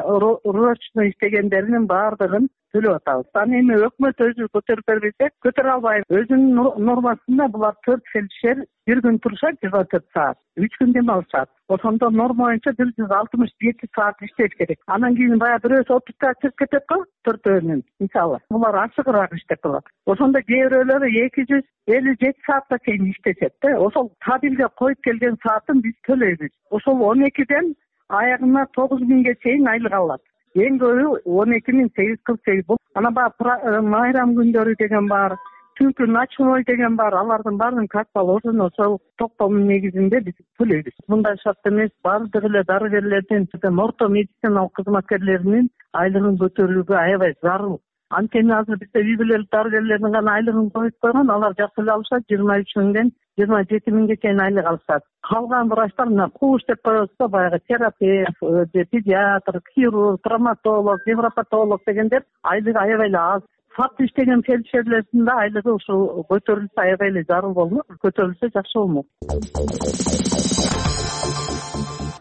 иштегендеринин баардыгын төлөп атабыз. Аны эми өкмөт өзү көтөрүп бербесе, көтөрө албайбыз. Өзүнүн нормасында булар төрт фельдшер бир күн турушат жыйырма төрт саат, үч күн дем алышат. Ошондо норма боюнча бир жүз алтымыш жети саат иштеш керек. Анан кийин баягы бирөөсү отузга чыгып кетет го, төртөөнүн мисалы. Булар ашыгыраак иштеп калат. Ошондо кээ бирөөлөрү эки жүз элүү жети саатка чейин иштешет да. Ошол табилге коюп келген саатын биз төлөйбүз. Ошол он экиден аягына тогуз миңге чейин айлык алат. Эң көбү он эки миң сегиз жүз кырк сегиз. Анан баягы майрам күндөрү деген бар, түнкү ночной деген бар. Алардын баарын как положено ошол токтомдун негизинде биз төлөйбүз. Мындай шарт эмес, баардык эле дарыгерлердин, орто медициналык кызматкерлеринин айлыгын көтөрүүгө аябай зарыл. Анткени азыр бизде үй бүлөлүк дарыгерлердин гана айлыгын коюп койгон, алар жакшы эле алышат, жыйырма үч миңден жыйырма жети миңге чейин айлык алышат. Калган врачтар мына кууш деп коебуз да, баягы терапевт, педиатр, хирург, травматолог, невропатолог дегендер айлыгы аябай эле аз. Факт иштеген фельдшерлердин да айлыгы ушул көтөрүлсө аябай эле зарыл болмок, көтөрүлсө жакшы болмок.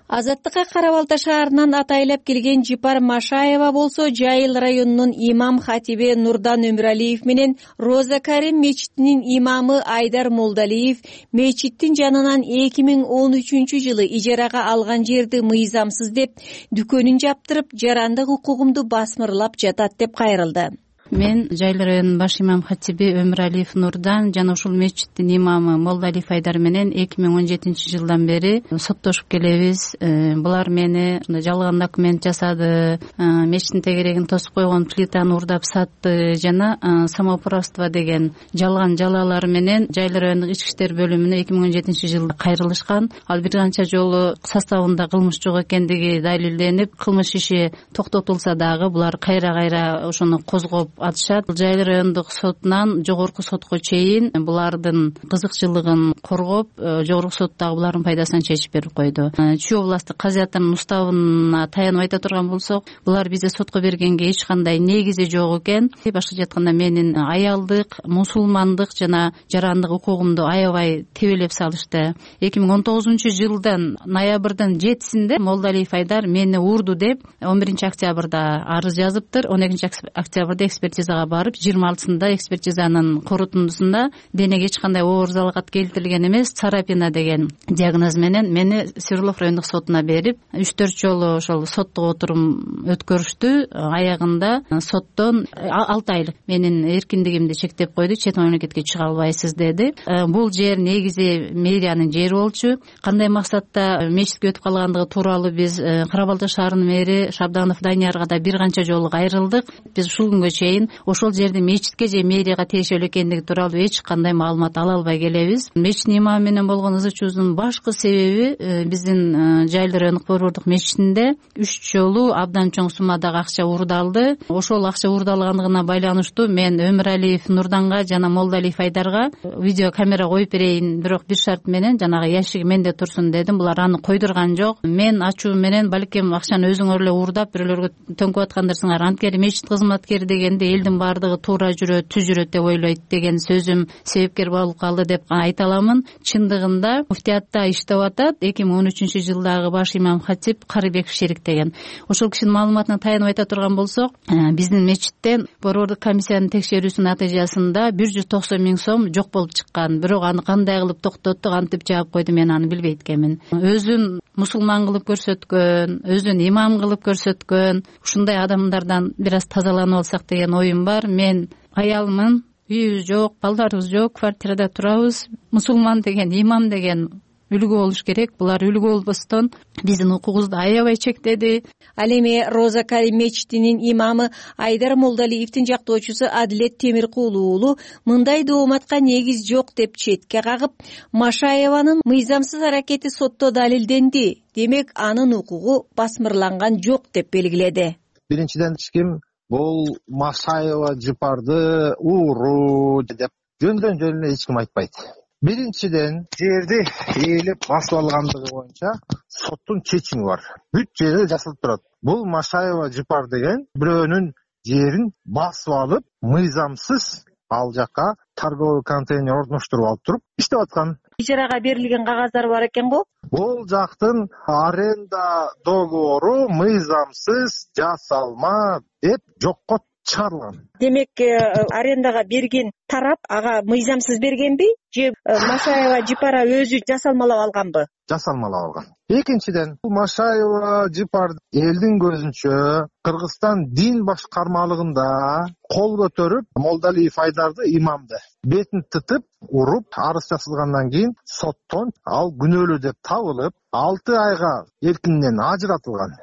Азаттыкка Кара Балта шаарынан атайлап келген Жипар Машаева болсо Жайыл районунун имам хатиби Нурдан Өмүралиев менен Роза Карим мечитинин имамы Айдар Молдалиев мечиттин жанынан эки миң он үчүнчү жылы ижарага алган жерди мыйзамсыз деп дүкөнүн жаптырып, жарандык укугумду басмырлап жатат деп кайрылды. Мен Жайыл районунун баш имам хатиби Өмүралиев Нурдан жана ушул мечиттин имамы Молдалиев Айдар менен эки миң он жетинчи жылдан бери соттошуп келебиз. Булар мени жалган документ жасады, мечиттин тегерегин тосуп койгон плитаны урдап сатты жана самоуправство деген жалган жалалар менен Жайыл райондук ички иштер бөлүмүнө эки миң он жетинчи жылда кайрылышкан. Ал бир канча жолу составында кылмыш жок экендиги далилденип, кылмыш иши токтотулса дагы булар кайра-кайра ошону козгоп атышат. Жайыл райондук сотунан жогорку сотко чейин булардын кызыкчылыгын коргоп, жогорку сот дагы булардын пайдасына чечип берип койду. Чүй областтык казыятынын уставына таянып айта турган болсок, булар бизде сотко бергенге эч кандай негизи жок экен. Башкача айтканда менин аялдык, мусулмандык жана жарандык укугумду аябай тебелеп салышты. эки миң он тогузунчу жылдын ноябрдын жетисинде Молдалиев Айдар мени урду деп он биринчи октябрда арыз жазыптыр. он экинчи октябрда экспертизага барып, жыйырма алтысында экспертизанын корутундусунда денеге эч кандай оор залалат келтирилген эмес, царапина деген диагноз менен мени Свердлов райондук сотуна берип, үч төрт жолу ошол соттук отурум өткөрүштү. Аягында соттон алты айлык менин эркиндигимди чектеп койду, чет мамлекетке чыга албайсыз деди. Бул жер негизи мэриянын жери болчу. Кандай максатта мечитке өтүп калгандыгы тууралуу биз Кара Балта шаарынын мэри Шабданов Даниярга да бир канча жолу кайрылдык. Биз ушул күнгө чейин ошол жердин мечитке же мэрияга тиешелүү экендиги тууралуу эч кандай маалымат ала албай келебиз. Мечиттин имамы менен болгон ызы чуубуздун башкы себеби биздин Жайыл райондук борбордук мечитинде үч жолу абдан чоң суммадагы акча уурдалды. Ошол акча уурдалгандыгына байланыштуу мен Өмүралиев Нурданга жана Молдалиев Айдарга видео камера коюп берейин, бирок бир шарт менен жанагы ящиги менде турсун дедим. Булар аны койдурган жок. Мен ачуу менен балким акчаны өзүңөр эле уурдап бирөөлөргө төңкөп аткандарсыңар, анткени мечит кызматкери дегенде элдин баардыгы туура жүрөт, түз жүрөт деп ойлойт деген сөзүм себепкер болуп калды деп айта аламын. Чындыгында муфтиятта иштеп атат эки миң он үчүнчү жылдагы баш имам хатип Карыбеков Шерик деген. Ошол кишинин маалыматына таянып айта турган болсок, биздин мечиттен борбордук комиссиянын текшерүүсүнүн натыйжасында бир жүз токсон миң сом жок болуп чыккан. Бирок аны кандай кылып токтотту, кантип жаап койду, мен аны билбейт экенмин. Өзүн мусулман кылып көрсөткөн, өзүн имам кылып көрсөткөн ушундай адамдардан бир аз тазаланып алсак деген оюм бар. Мен аялмын, үйүбүз жок, балдарыбыз жок, квартирада турабыз. Мусулман деген, имам деген үлгү болуш керек. Булар үлгү болбостон биздин укугубузду аябай чектеди. Ал эми Роза Карим мечитинин имамы Айдар Молдалиевдин жактоочусу Адилет Темиркулу уулу мындай дооматка негиз жок деп четке кагып, Машаеванын мыйзамсыз аракети сотто далилденди, демек анын укугу басмырланган жок деп белгиледи. Биринчиден эч ким бул Машаева Жипарды ууруу деп жөндөн жөн эле эч ким айтпайт. Биринчиден жерди ээлеп басып алгандыгы боюнча соттун чечими бар. Бүт жерде жазылып турат. Бул Машаева Жипар деген бирөөнүн жерин басып алып, мыйзамсыз ал жака торговый контейнер орноштуруп алып туруп иштеп аткан. Ижарага берилген кагаздар бар экен го? Бул жактын аренда договору мыйзамсыз жасалма деп жокко чыгарылган. Демек, арендага берген тарап ага мыйзамсыз бергенби же Машаева Жипара өзү жасалмалап алганбы? Жасалмалап алган. Экинчиден, Машаева Жипар элдин көзүнчө Кыргызстан дин башкармалыгында кол көтөрүп, Молдалиев Айдарды имамды бетин тытып, уруп, арыз жазылгандан кийин соттон ал күнөөлүү деп табылып, алты айга эркинден ажыратылган.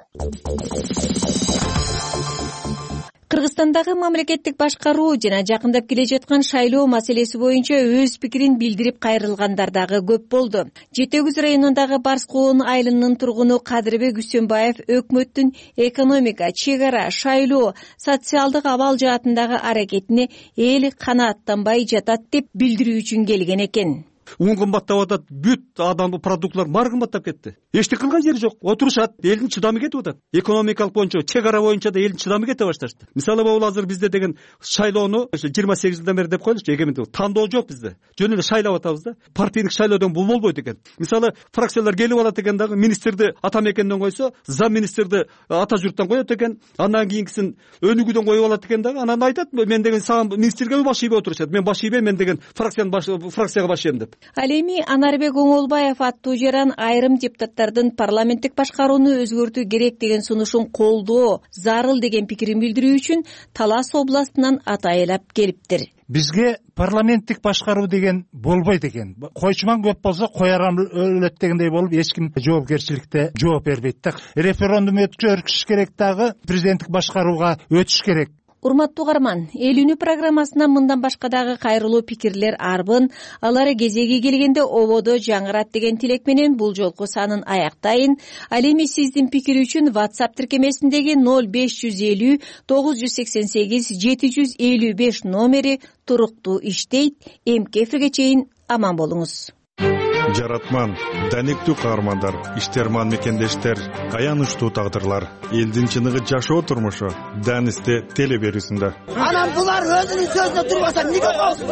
Кыргызстандагы мамлекеттик башкаруу жана жакындап келе жаткан шайлоо маселеси боюнча өз пикирин билдирип кайрылгандар дагы көп болду. Жети өгүз районундагы Барс Коон айылынын тургуну Кадырбек Үсөнбаев өкмөттүн экономика, чек ара, шайлоо, социалдык абал жаатындагы аракетине эл канааттанбай жатат деп билдирүү үчүн келген экен. ун кымбаттап атат, бүт адам продуктлар баары кымбаттап кетти. Эчтеке кылган жери жок, отурушат, элдин чыдамы кетип атат. Экономикалык боюнча, чек ара боюнча да элдин чыдамы кете башташты. Мисалы могул азыр бизде деген шайлоону ошо жыйырма сегиз жылдан бери деп коелучу, эгемендик тандоо жок бизде. Жөн эле шайлап атабыз да. Партиялык шайлоодон бул болбойт экен. Мисалы фракциялар келип алат экен дагы, министрди ата мекенден койсо, зам министрди ата журттан коет экен, андан кийинкисин өнүгүүдөн коюп алат экен дагы. Анан айтат, мен деген сага министрге баш ийбей отурушат. Мен баш ийбейм, мен деген фракциянын баш фракцияга баш ийем деп. Ал эми Анарбек Оңолбаев аттуу жаран айрым депутаттардын парламенттик башкарууну өзгөртүү керек деген сунушун колдоо зарыл деген пикирин билдирүү үчүн Талас областынан атайылап келиптир. Бизге парламенттик башкаруу деген болбойт экен. Койчуман көп болсо коярам өлөт дегендей болуп, эч ким жоопкерчиликте жооп бербейт да. Референдум өткөрүш керек дагы, президенттик башкарууга өтүш керек. Урматтуу угарман, Эл үнү программасынан мындан башка дагы кайрылуу пикирлер арбын, алар кезеги келгенде ободо жаңырат деген тилек менен бул жолку санын аяктайын. Ал эми сиздин пикир үчүн WhatsApp тиркемесиндеги ноль беш жүз элүү тогуз жүз сексен сегиз жети жүз элүү беш номери туруктуу иштейт. Эмки эфирге чейин аман болуңуз. Жаратман, даниктүү каармандар, иштерман мекендештер, аянычтуу тагдырлар, элдин чыныгы жашоо турмушу Данисте теле берүүсүндө. Анан булар өзүнүн сөзүнө турбаса эмнеге болсун?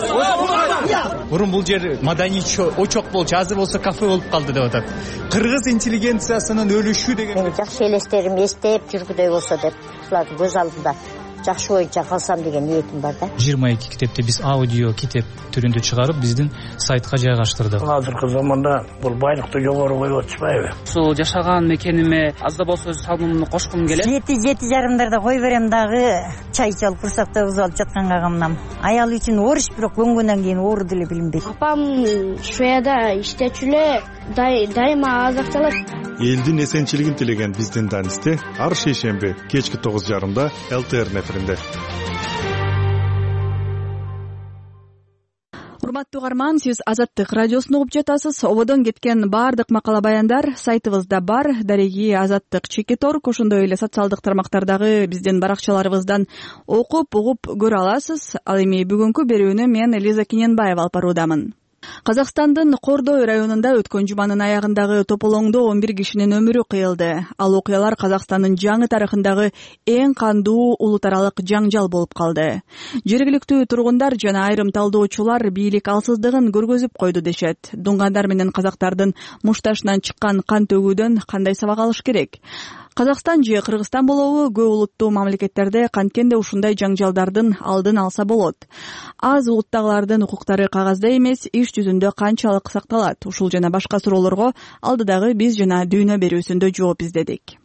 Мурун бул жер маданий очок болчу, азыр болсо кафе болуп калды деп атат. Кыргыз интеллигенциясынын өлүшү деген. Мен жакшы элестерим эстеп жүргүдөй болсо деп, ушулардын көз алдында жакшы боюнча калсам деген ниетим бар да. жыйырма эки китепти биз аудио китеп түрүндө чыгарып, биздин сайтка жайгаштырдык. Азыркы заманда бул байлыкты жогору коюп атышпайбы? Ушул жашаган мекениме аз да болсо өз салымымды кошкум келет. Жети жети жарымдарда кой берем дагы, чай чалып курсакта уз алып жатканга камнам. Аял үчүн оруч, бирок көнгөндөн кийин оору деле билинбейт. Апам Швеяда иштечү эле дайыма азакталат. Элдин эсенчилигин тилеген биздин Данисте ар шейшемби кечки тогуз жарымда эл тэ эр эфиринде. Урматтуу угарман, сиз Азаттык радиосун угуп жатасыз. Ободон кеткен баардык макала баяндар сайтыбызда бар. Дареги Азаттык Чекитор, ошондой эле социалдык тармактардагы биздин баракчаларыбыздан окуп, угуп көрө аласыз. Ал эми бүгүнкү берүүнү мен Элиза Киненбаева алып баруудамын. Казакстандын Кордой районунда өткөн жуманын аягындагы тополоңдо он бир кишинин өмүрү кыйылды. Ал окуялар Казакстандын жаңы тарыхындагы эң кандуу улут аралык жаңжал болуп калды. Жергиликтүү тургундар жана айрым талдоочулар бийлик алсыздыгын көргөзүп койду дешет. Дуңгандар менен казактардын мушташынан чыккан кан төгүүдөн кандай сабак алыш керек? Казакстан же Кыргызстан болобу, көп улуттуу мамлекеттерде канткенде ушундай жаңжалдардын алдын алса болот. Аз улуттагылардын укуктары кагазда эмес, иш жүзүндө канчалык сакталат? Ушул жана башка суроолорго алдыдагы биз жана дүйнө берүүсүндө жооп издедик.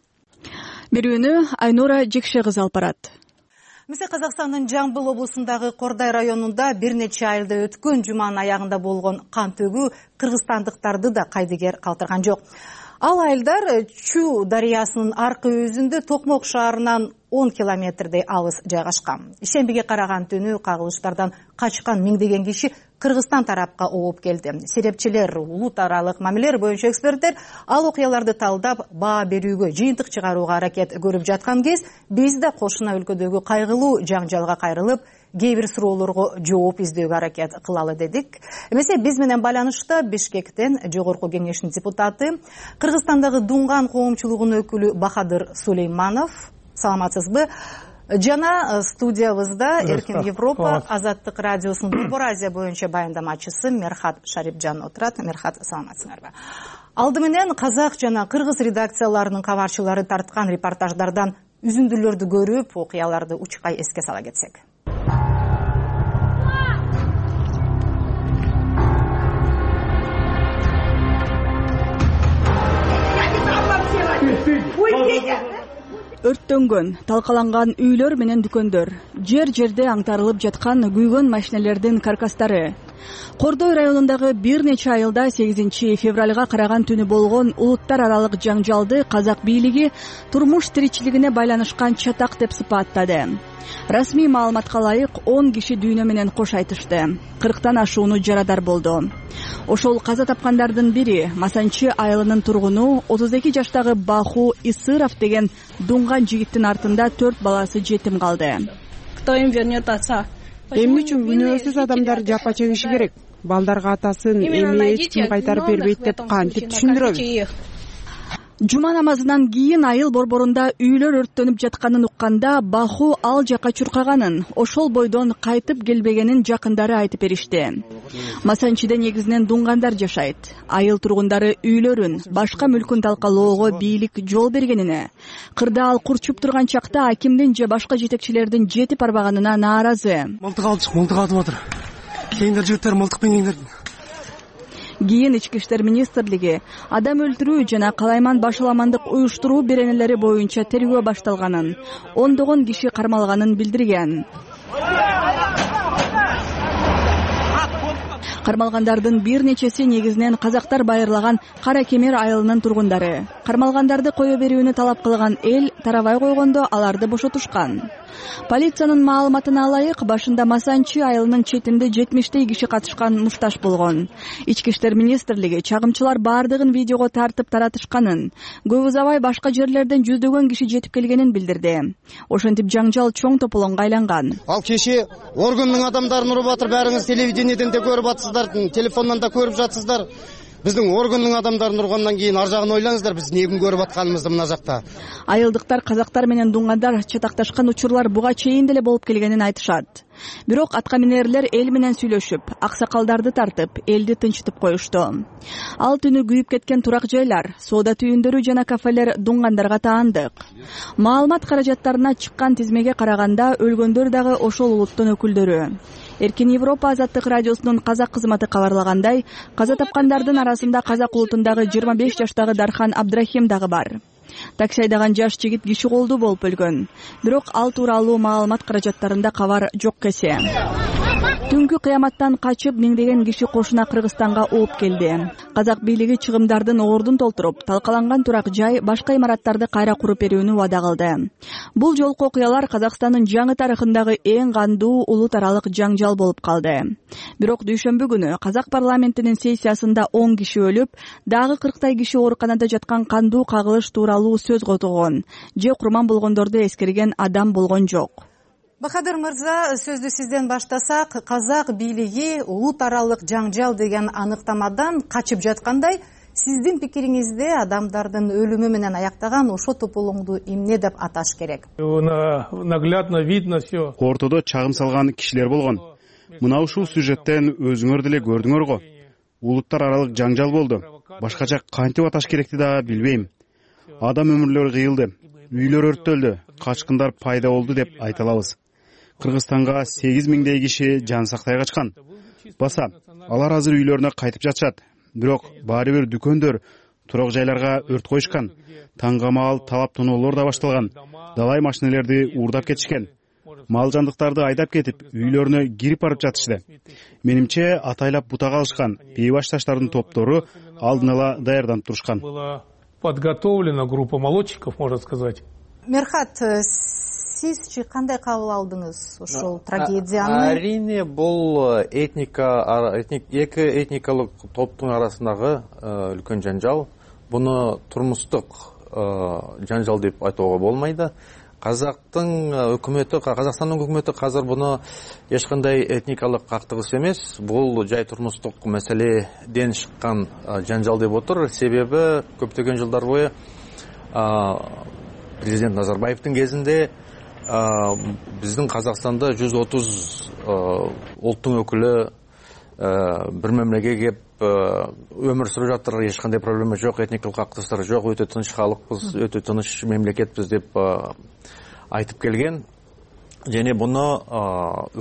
Берүүнү Айнура Жекше кызы алып барат. Мисалы Казакстандын Жамбыл облусундагы Кордай районунда бир нече айылда өткөн жуманын аягында болгон кан төгүү кыргызстандыктарды да кайдыгер калтырган жок. Ал айылдар Чу дарыясынын аркы өзүндө Токмок шаарынан он километрдей алыс жайгашкан. Ишембиге караган түнү кагылыштардан качкан миңдеген киши Кыргызстан тарапка ооп келди. Серепчилер, улут аралык мамилелер боюнча эксперттер ал окуяларды талдап, баа берүүгө, жыйынтык чыгарууга аракет көрүп жаткан кез, биз да кошуна өлкөдөгү кайгылуу жаңжалга кайрылып, кээ бир суроолорго жооп издөөгө аракет кылалы дедик. Эмесе биз менен байланышта Бишкектен Жогорку кеңештин депутаты, Кыргызстандагы Дуңган коомчулугунун өкүлү Бахадыр Сулейманов. Саламатсызбы? Жана студиябызда Эркин Европа Азаттык радиосунун Борбор Азия боюнча баяндамачысы Мерхат Шарипжан отурат. Мерхат, саламатсыңарбы? Алды менен казак жана кыргыз редакцияларынын кабарчылары тарткан репортаждардан үзүндүлөрдү көрүп, окуяларды учкай эске сала кетсек. Өрттөнгөн, талкаланган үйлөр менен дүкөндөр, жер-жерде аңтарылып жаткан күйгөн машинелердин каркастары. Кордой районундагы бир нече айылда сегизинчи февралга караган түнү болгон улуттар аралык жаңжалды казак бийлиги турмуш тиричилигине байланышкан чатак деп сыпаттады. Расмий маалыматка ылайык он киши дүйнө менен кош айтышты. кырктан ашууну жарадар болду. Ошол каза тапкандардын бири Масанчы айылынын тургуну отуз эки жаштагы Баху Исыров деген дуңган жигиттин артында төрт баласы жетим калды. Кто им вернет отца? Эмне үчүн күнөөсүз адамдар жапа чегиши керек? балдарга атасын эми эч ким кайтарып бербейт деп кантип түшүндүрөбүз? Жума намазынан кийин айыл борборунда үйлөр өрттөнүп жатканын укканда Баху ал жака чуркаганын, ошол бойдон кайтып келбегенин жакындары айтып беришти. Масанчиде негизинен дунгандар жашайт. Айыл тургундары үйлөрүн, башка мүлкүн талкалоого бийлик жол бергенине, кырдаал курчуп турган чакта акимдин же башка жетекчилердин жетип барбаганына нааразы. Мылтык алдык, мылтык атып атыр. Кийиндер жигиттер мылтык менен кийиндер. Кийин Ички иштер министрлиги адам өлтүрүү жана калайман башаламандык уюштуруу беренелери боюнча тергөө башталганын, ондогон киши кармалганын билдирген. Кармалгандардын бир нечеси негизинен казактар байырлаган Кара Кемер айылынын тургундары. Кармалгандарды кое берүүнү талап кылган эл тарабай койгондо аларды бошотушкан. Полициянын маалыматына ылайык, башында Масанчи айылынын четинде жетимиштей киши катышкан мушташ болгон. Ички иштер министрлиги чагымчылар бардыгын видеого тартып таратышканын, көп узабай башка жерлерден жүздөгөн киши жетип келгенин билдирди. Ошентип жаңжал чоң тополоңго айланган. Ал кеше органдын адамдарын уруп атыр, баарыңыз телевидениеден де көрүп атсыздар, телефондон да көрүп жатсыздар. Биздин органдын адамдарын ургандан кийин ар жагын ойлаңыздар, биз эмне көрүп атканыбызды мына жакта. Айылдыктар казактар менен дунгандар чатакташкан учурлар буга чейин деле болуп келгенин айтышат. Бирок атка минерлер эл менен сүйлөшүп, аксакалдарды тартып, элди тынчытып коюшту. Ал түнү күйүп кеткен турак жайлар, соода түйүндөрү жана кафелер дунгандарга таандык. Маалымат каражаттарына чыккан тизмеге караганда өлгөндөр дагы ошол улуттун өкүлдөрү. Эркин Европа азаттык радиосунун казак кызматы кабарлагандай, каза тапкандардын арасында казак улутундагы жыйырма беш жаштагы Дархан Абдрахим дагы бар. Такси айдаган жаш жигит киши колдуу болуп өлгөн. Бирок ал тууралуу маалымат каражаттарында кабар жок кесе. Түнкү кыяматтан качып миңдеген киши кошуна Кыргызстанга ооп келди. Казак бийлиги чыгымдардын ордун толтуруп, талкаланган турак жай, башка имараттарды кайра куруп берүүнү убада кылды. Бул жолку окуялар Казакстандын жаңы тарыхындагы эң кандуу улут аралык жаңжал болуп калды. Бирок дүйшөмбү күнү казак парламентинин сессиясында он киши өлүп, дагы кырктай киши ооруканада жаткан кандуу кагылыш тууралуу сөз котогон же курман болгондорду эскерген адам болгон жок. Бахадыр мырза, сөздү сизден баштасак, казак бийлиги улут аралык жаңжал деген аныктамадан качып жаткандай, сиздин пикириңизде адамдардын өлүмү менен аяктаган ошо тополоңду эмне деп аташ керек? Наглядно видно все. Ортодо чагым салган кишилер болгон. Мына ушул сюжеттен өзүңөр деле көрдүңөр го. Улуттар аралык жаңжал болду. Башкача кантип аташ керекти да билбейм. Адам өмүрлөрү кыйылды, үйлөр өрттөлдү, качкындар пайда болду деп айта алабыз. Кыргызстанга сегиз миңдей киши жан сактай качкан. Баса, алар азыр үйлөрүнө кайтып жатышат. Бирок баары бир дүкөндөр, турак жайларга өрт коюшкан. Таңга маал талап тоноолор да башталган. Далай машинелерди уурдап кетишкен. Мал жандыктарды айдап кетип, үйлөрүнө кирип барып жатышты. Менимче атайлап бутак алышкан, бейбаш таштардын топтору алдын ала даярданып турушкан. Подготовлена группа молодчиков, можно сказать. Мерхат, сизчи кандай кабыл алдыңыз ошол трагедияны? Арине бул этника, эки этникалык топтун арасындагы үлкөн жанжал. Буну турмуштук жанжал деп айтууга болмойт. Казактын өкмөтү, Казакстандын өкмөтү азыр буну эч кандай этникалык кактыгыс эмес, бул жай турмуштук маселеден чыккан жанжал деп отур. Себеби көптөгөн жылдар бою президент Назарбаевдин кезинде биздин Казакстанда жүз отуз улуттун өкүлү бир мемлекетке кеп өмүр сүрүп жатыр, эч кандай проблема жок, этникалык кактыгыстар жок, өтө тынч халыкпыз, өтө тыныч мемлекетпиз деп айтып келген. Және буну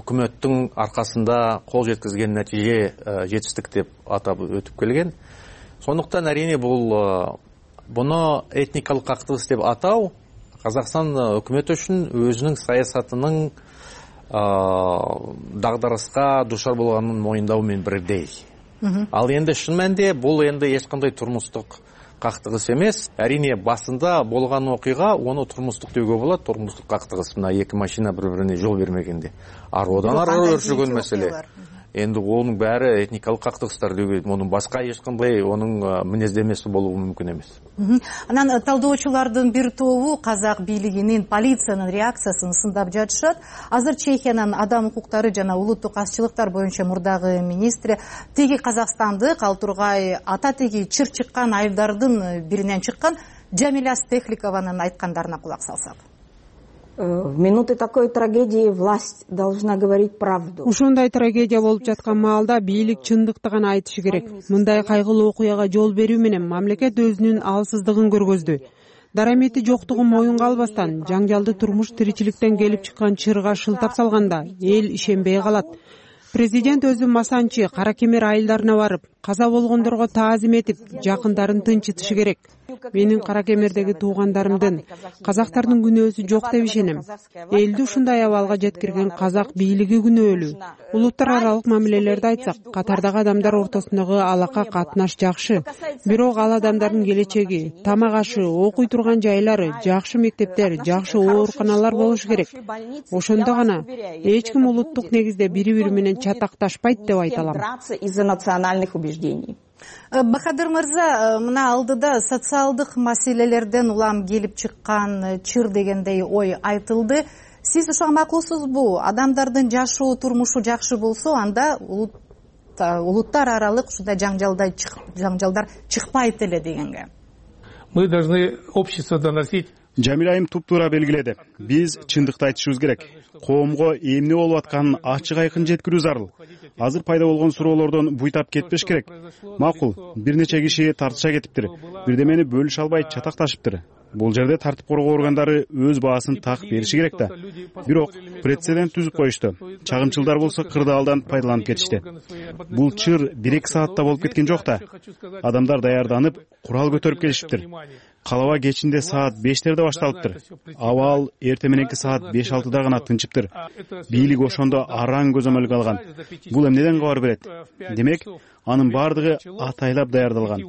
өкмөттүн аркасында кол жеткизген натиже жетиштик деп атап өтүп келген. Сондуктан арине бул буну этникалык кактыгыс деп атау Казакстан өкмөтү үчүн өзүнүн саясатынын дагдарыска душар болгонун моюндоо менен бирдей. Ал энди шын мәнде бул энди эч кандай турмуштук кактыгыс эмес. Арине басында болгон окуйга ону турмуштук деүүгө болот. Турмуштук кактыгыс мына эки машина бири-бирине жол бермегенде. Ар одан ары өршүгөн маселе. энди онун баары этникалык кактыгыстар деген мунун башка эч кандай онун мүнөздөмөсү болуу мүмкүн эмес. Анан талдоочулардын бир тобу казак бийлигинин, полициянын реакциясын сындап жатышат. Азыр Чехиянын адам укуктары жана улуттук азчылыктар боюнча мурдагы министри теги казакстандык ал тургай ата теги чыр чыккан айылдардын биринен чыккан Джамиля Стехликованын айткандарына кулак салсак. В минуты такой трагедии власть должна говорить правду. Ушундай трагедия болуп жаткан маалда бийлик чындыкты гана айтышы керек. Мындай кайгылуу окуяга жол берүү менен мамлекет өзүнүн алсыздыгын көргөздү. Дарамети жоктугун моюнга албастан, жаңжалды турмуш тиричиликтен келип чыккан чырга шылтап салганда эл ишенбей калат. Президент өзү Масанчы, Кара Кемер айылдарына барып, каза болгондорго таазим этип, жакындарын тынчытышы керек. Менин Кара Кемердеги туугандарымдын, казактардын күнөөсү жок деп ишенем. Элди ушундай абалга жеткирген казак бийлиги күнөөлүү. Улуттар аралык мамилелерди айтсак, катардагы адамдар ортосундагы алака катнаш жакшы. Бирок ал адамдардын келечеги, тамак ашы, окуй турган жайлары, жакшы мектептер, жакшы ооруканалар болушу керек. Ошондо гана эч ким улуттук негизде бири-бири менен чатакташпайт деп айта алам. Из-за национальных убеждений. Бахадыр мырза, мына алдыда социалдык маселелерден улам келип чыккан чыр дегендей ой айтылды. Сиз ушуга макулсузбу? Адамдардын жашоо турмушу жакшы болсо, анда улуттар аралык ушундай жаңжалдар жаңжалдар чыкпайт эле дегенге. Мы должны общество доносить. Жамил айым туп-туура белгиледи. Биз чындыкты айтышыбыз керек. Коомго эмне болуп атканын ачык айкын жеткирүү зарыл. Азыр пайда болгон суроолордон буйтап кетпеш керек. Макул, бир нече киши тартыша кетиптир. Бирдемени бөлүшө албай чатакташыптыр. Бул жерде тартип коргоо органдары өз баасын так бериши керек да. Бирок прецедент түзүп коюшту. Чагымчылдар болсо кырдаалдан пайдаланып кетишти. Бул чыр бир-эки саатта болуп кеткен жок да. Адамдар даярданып, курал көтөрүп келишиптир. Калаба кечинде саат бештерде башталыптыр. Абал эрте мененки саат беш алтыда гана тынчыптыр. Бийлик ошондо араң көзөмөлгө алган. Бул эмнеден кабар берет? Демек, анын бардыгы атайлап даярдалган.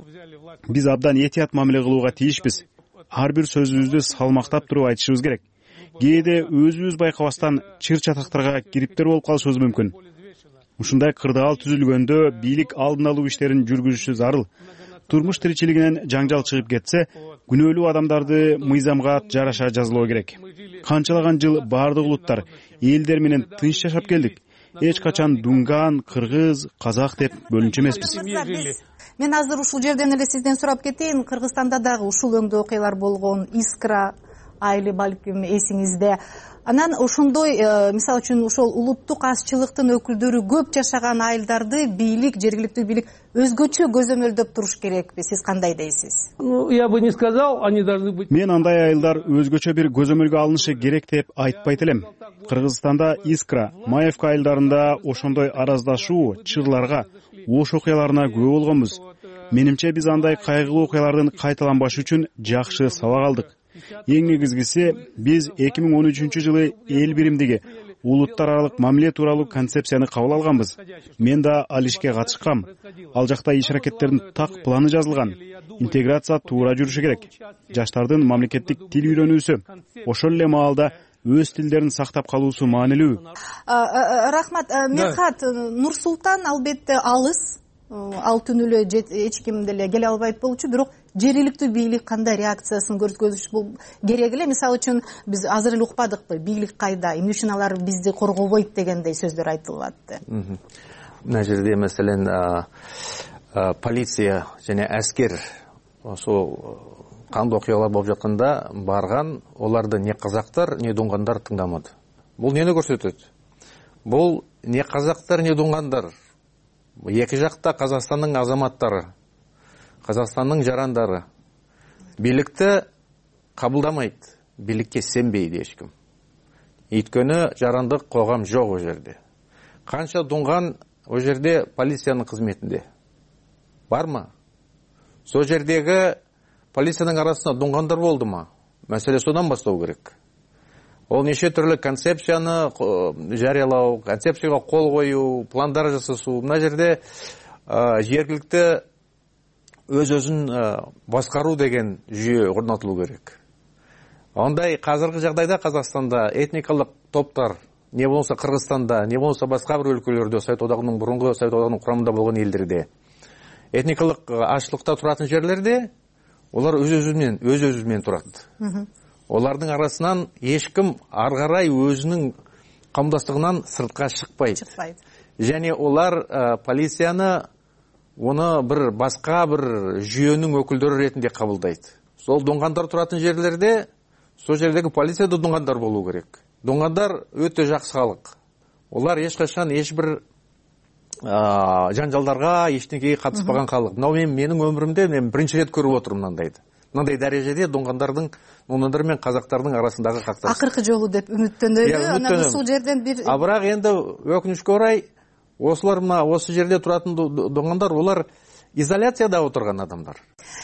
Биз абдан этият мамиле кылууга тийишпиз. Ар бир сөзүбүздү салмактап туруп айтышыбыз керек. Кээде өзүбүз байкабастан чыр чатактарга кириптер болуп калышыбыз мүмкүн. Ушундай кырдаал түзүлгөндө бийлик алдын алуу иштерин жүргүзүшү зарыл. Турмуш тиричилигинен жаңжал чыгып кетсе, күнөөлүү адамдарды мыйзамга жараша жазалоо керек. Канчалаган жыл бардык улуттар, элдер менен тынч жашап келдик. Эч качан дунган, кыргыз, казак деп бөлүнчү эмеспиз. Мен азыр ушул жерден эле сизден сурап кетейин. Кыргызстанда дагы ушул өңдө окуялар болгон, Искра айылы балким эсиңизде. Анан ошондой, мисалы үчүн ошол улуттук азчылыктын өкүлдөрү көп жашаган айылдарды бийлик, жергиликтүү бийлик өзгөчө көзөмөлдөп туруш керекпи? Сиз кандай дейсиз? Ну, я бы не сказал, они должны быть. Мен андай айылдар өзгөчө бир көзөмөлгө алынышы керек деп айтпайт элем. Кыргызстанда Искра, Маевка айылдарында ошондой араздашуу, чырларга, ош окуяларына күбө болгонбуз. Менимче биз андай кайгылуу окуялардын кайталанбашы үчүн жакшы сабак алдык. Эң негизгиси, биз эки миң он үчүнчү жылы эл биримдиги улуттар аралык мамиле тууралуу концепцияны кабыл алганбыз. Мен да ал ишке катышкам. Ал жакта иш-аракеттердин так планы жазылган. Интеграция туура жүрүшү керек. Жаштардын мамлекеттик тил үйрөнүүсү, ошол эле маалда өз тилдерин сактап калуусу маанилүү. Рахмат. Мерхат, Нур-Султан албетте алыс. Ал түнүлө эч ким деле келе албайт болчу, бирок жергиликтүү бийлик кандай реакциясын көрсөтүш керек эле? Мисалы үчүн биз азыр эле укпадыкпы, бийлик кайда, эмне үчүн алар бизди коргобойт дегендей сөздөр айтылып атты. Мына жерде маселен полиция жана аскер ошол кандуу окуялар болуп жатканда барган, оларды не казактар, не дунгандар тыңдамады. Бул эмнени көрсөтөт? Бул не казактар, не дунгандар. Эки жакта Казакстандын азаматтары, Казакстандын жарандары бийликти кабылдамайт, бийликке сенбейт эч ким. Өйткөнү жарандык коом жок о жерде. Канча дунган о жерде полициянын кызметинде бармы? Сол жердеги полициянын арасында дунгандар болдуму? Маселе содан баштоо керек. Ол неше түрлі концепцияны жариялау, концепцияға қол қою, пландар жасасу. Мына жерде жергілікті өз-өзін басқару деген жүйе орнатылу керек. Ондай қазіргі жағдайда Қазақстанда этникалық топтар не болмосо Кыргызстанда, не болмосо башка бир өлкөлөрдө, Совет Одагынын мурунку Совет Одагынын курамында болгон элдерде этникалык ачлыкта туратын жерлерде олар өз өзү менен өз өзү менен турат. Олардын арасынан эч ким ары карай өзүнүн камдастыгынан сыртка чыкпайт. Және олар полицияны оны бир башка бир жүйөнүн өкүлдөрү ретинде кабылдайт. Сол дуңгандар туратын жерлерде сол жердеги полиция да дуңгандар болуу керек. Дуңгандар өтө жакшы халык. Олар эч качан эч бир жанжалдарга эчтекеге катышпаган халык. Мына мен менин өмүрүмдө мен биринчи рет көрүп отурум мындайды. Мындай дарежеде дуңгандардын, дуңгандар менен казактардын арасындагы какташ. Акыркы жолу деп үмүттөнөлү. Анан ушул жерден бир А бирок энди өкүнүчкө орай осулар мына осы жерде туратын дуңгандар олар изоляцияда отурган адамдар.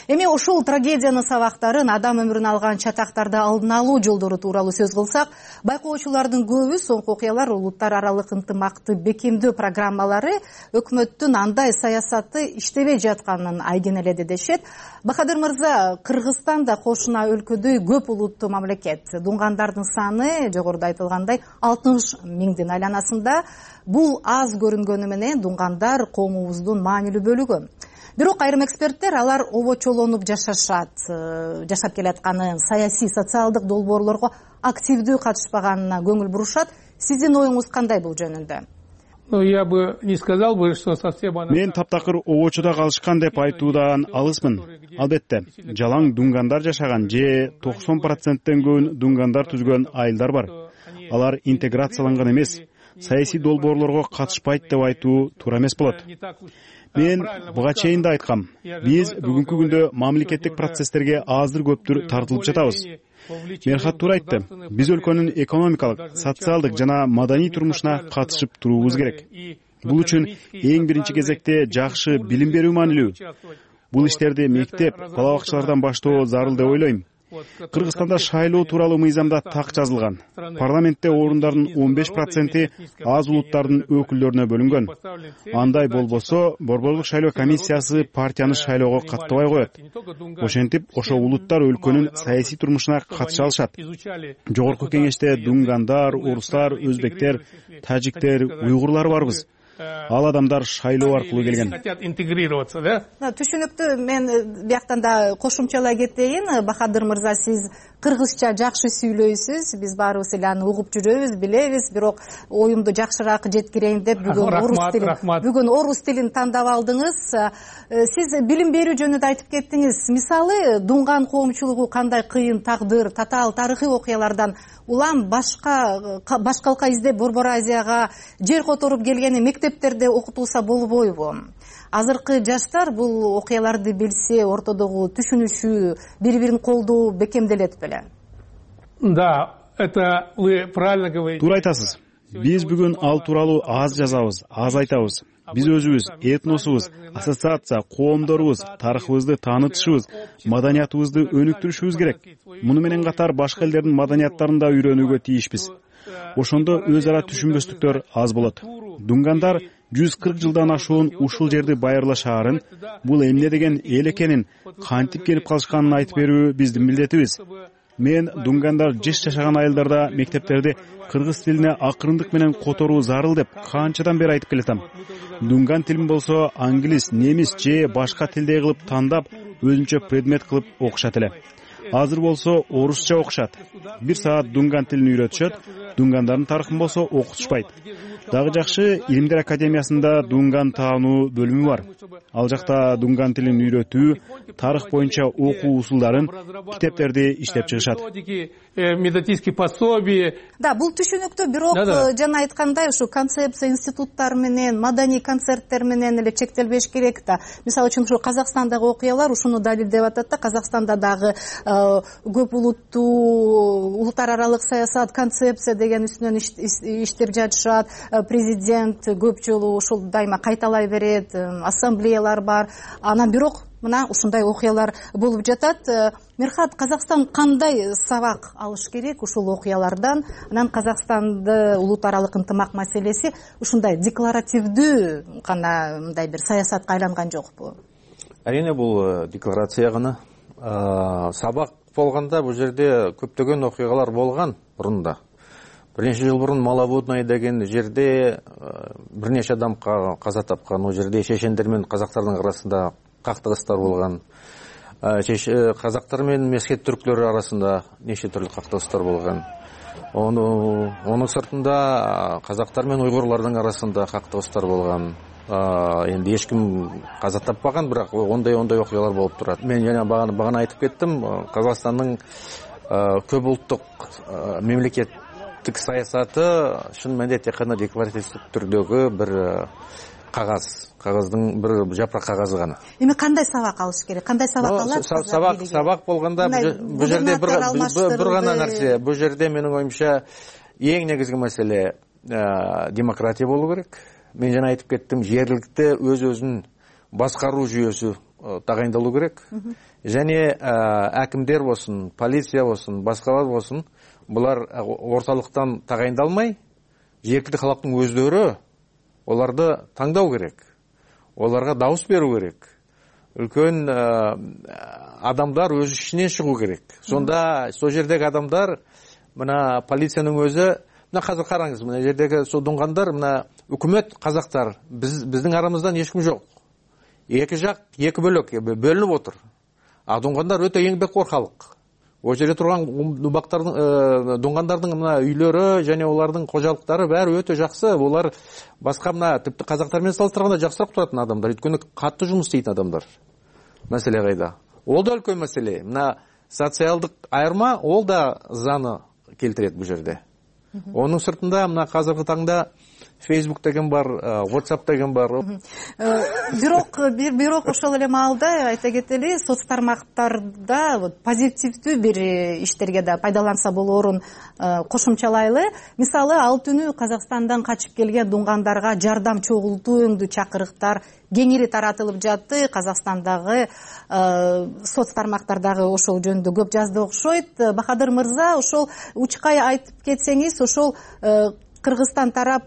Эми ушул трагедиянын сабактарын, адам өмүрүн алган чатактарды алдын алуу жолдору тууралуу сөз кылсак, байкоочулардын көбү соңку окуялар улуттар аралык ынтымакты бекемдөө программалары өкмөттүн андай саясаты иштебей жатканын айдин эле дешет. Бахадыр мырза, Кыргызстан да кошуна өлкөдөй көп улуттуу мамлекет. Дуңгандардын саны жогоруда айтылгандай алтымыш миңдин айланасында. Бул аз көрүнгөнү менен дуңгандар коомубуздун маанилүү бөлүгү. Бирок айрым эксперттер алар обочолонуп жашашат, жашап келатканын, саясий, социалдык долбоорлорго активдүү катышпаганына көңүл бурушат. Сиздин оюңуз кандай бул жөнүндө? Ну, я бы не сказал бы, что совсем... Мен таптакыр обочодо калышкан деп айтуудан алыспын. Албетте, жалаң дуңгандар жашаган же токсон проценттен көбүн дуңгандар түзгөн айылдар бар. Алар интеграцияланган эмес, саясий долбоорлорго катышпайт деп айтуу туура эмес болот. Мен буга чейин да айткам. Биз бүгүнкү күндө мамлекеттик процесстерге аздыр көптүр тартылып жатабыз. Мерхат туура айтты. Биз өлкөнүн экономикалык, социалдык жана маданий турмушуна катышып туруубуз керек. Бул үчүн эң биринчи кезекте жакшы билим берүү маанилүү. Бул иштерди мектеп, бала бакчалардан баштоо зарыл деп ойлойм. Кыргызстанда шайлоо тууралуу мыйзамда так жазылган. Парламентте орундардын он беш проценти аз улуттардын өкүлдөрүнө бөлүнгөн. Андай болбосо, Борборлук шайлоо комиссиясы партияны шайлоого каттабай коет. Ошентип, ошо улуттар өлкөнүн саясий турмушуна катыша алышат. Жогорку кеңеште дуңгандар, орустар, өзбектер, тажиктер, уйгурлар барбыз. Ал адамдар шайлоо аркылуу келген. Хотят интегрироваться, да? Түшүнүктүү. Мен бияктан да кошумчалай кетейин. Бахадыр мырза, сиз кыргызча жакшы сүйлөйсүз. Биз баарыбыз эле аны угуп жүрөбүз, билебиз. Бирок оюмду жакшыраак жеткирейин деп бүгүн орус тилин, бүгүн орус тилин тандап алдыңыз. Сиз билим берүү жөнүндө айтып кеттиңиз. Мисалы, дуңган коомчулугу кандай кыйын тагдыр, татаал тарыхый окуялардан улам башка башкалка издеп Борбор Азияга жер которуп келгени мектептерде окутулса болбойбу? Азыркы жаштар бул окуяларды билсе, ортодогу түшүнүшү, бири-бирин колдоо бекемделет беле? Да, это вы правильно говорите. Туура айтасыз. Биз бүгүн ал тууралуу аз жазабыз, аз айтабыз. Биз өзүбүз, этносубуз, ассоциация, коомдорубуз, тарыхыбызды таанытышыбыз, маданиятыбызды өнүктүрүшүбүз керек. Муну менен катар башка элдердин маданияттарын да үйрөнүүгө тийишпиз. Ошондо өз ара түшүнбөстүктөр аз болот. Дуңгандар жүз кырк жылдан ашуун ушул жерди байырлашаарын, бул эмне деген эл экенин, кантип келип калышканын айтып берүү биздин милдетибиз. Мен дуңгандар жеш жашаган айылдарда мектептерди кыргыз тилине акырындык менен которуу зарыл деп канчадан бери айтып келатам. Дуңган тилин болсо англис, немис же башка тилдей кылып тандап, өзүнчө предмет кылып окушат эле. Азыр болсо орусча окушат. Бир саат дуңган тилин үйрөтүшөт, дуңгандардын тарыхын болсо окутушпайт. Дагы жакшы, Илимдер академиясында дуңган таануу бөлүмү бар. Ал жакта дуңган тилин үйрөтүү, тарых боюнча окуу усулдарын, китептерди иштеп чыгышат. Методические пособия. Да, бул түшүнүктүү, бирок жана айткандай ушу концепция институттар менен, маданий концерттер менен эле чектелбеш керек да. Мисалы үчүн ушу Казакстандагы окуялар ушуну далилдеп атат да. Казакстанда дагы көп улуттуу, улуттар аралык саясат, концепция деген үстүнөн иштеп жатышат. Президент көп жолу ушул дайыма кайталай берет, ассамблеялар бар. Анан бирок мына ушундай окуялар болуп жатат. Мерхат, Казакстан кандай сабак алыш керек ушул окуялардан? Анан Казакстанды улуттар аралык ынтымак маселеси ушундай декларативдүү гана мындай бир саясатка айланган жокпу? Әрине, бул декларация гана. Сабак болгондо бул жерде көптөгөн окуялар болгон мурунда. бир нече жыл мурун Маловодное деген жерде бир нече адам каза тапкан. Ал жерде чечендер менен казактардын арасында кактыгыстар болгон. Казактар менен месхет түрктөр арасында нече түрлүү кактыгыстар болгон. Онун сыртында казактар менен уйгурлардын арасында кактыгыстар болгон. Энди эч ким каза таппаган, бирок ондай ондай окуялар болуп турат. Мен жана багана айтып кеттим, Казакстандын көп улуттук мемлекеттик саясаты шын мәнинде тек гана декларативдик түрдөгү бир кагаз, кагаздын бир жапырак кагазы гана. Эми кандай сабак алыш керек? Кандай сабак алат? Сабак сабак болгондо бул жерде бир гана нерсе, бул жерде менин оюмча эң негизги маселе демократия болуу керек. Мен жана айтып кеттим, жергиликте өз-өзүн башкаруу жүйөсү тагайындалуу керек. Және акимдер болсун, полиция болсун, башкалар болсун, булар орталыктан тагайындалмай, жергиликтүү калктын өздөрү оларды таңдау керек. Оларга дауыс берүү керек. Үлкөн адамдар өз ишинен чыгуу керек. Сонда сол жердеги адамдар, мына полициянын өзү, мына азыр караңыз, мына жердеги судунгандар, мына өкмөт казактар, биздин арамыздан эч ким жок. Эки жак, эки бөлөк бөлүнүп отур. А дунгандар өтө эңбеккор халык. О жерде турган дубактардын, дунгандардын мына үйлөрү жана олардын кожалыктары баары өтө жакшы. Олар башка мына типти казактар менен салыштырганда жакшыраак туратын адамдар. Өткөнү катты жумуш иштейтин адамдар. Маселе кайда? Ол да үлкөн маселе. Мына социалдык айырма, ол да заны келтирет бул жерде. Онун сыртында мына азыркы таңда Facebook деген бар, WhatsApp деген бар. Бирок бирок ошол эле маалда айта кетели, соц тармактарда позитивдүү бир иштерге да пайдаланса болоорун кошумчалайлы. Мисалы, ал түнү Казакстандан качып келген дунгандарга жардам чогултуу өңдүү чакырыктар кеңири таратылып жатты. Казакстандагы соц тармактардагы ошол жөнүндө көп жазды окшойт. Бахадыр мырза, ошол учкай айтып кетсеңиз, ошол Кыргызстан тарап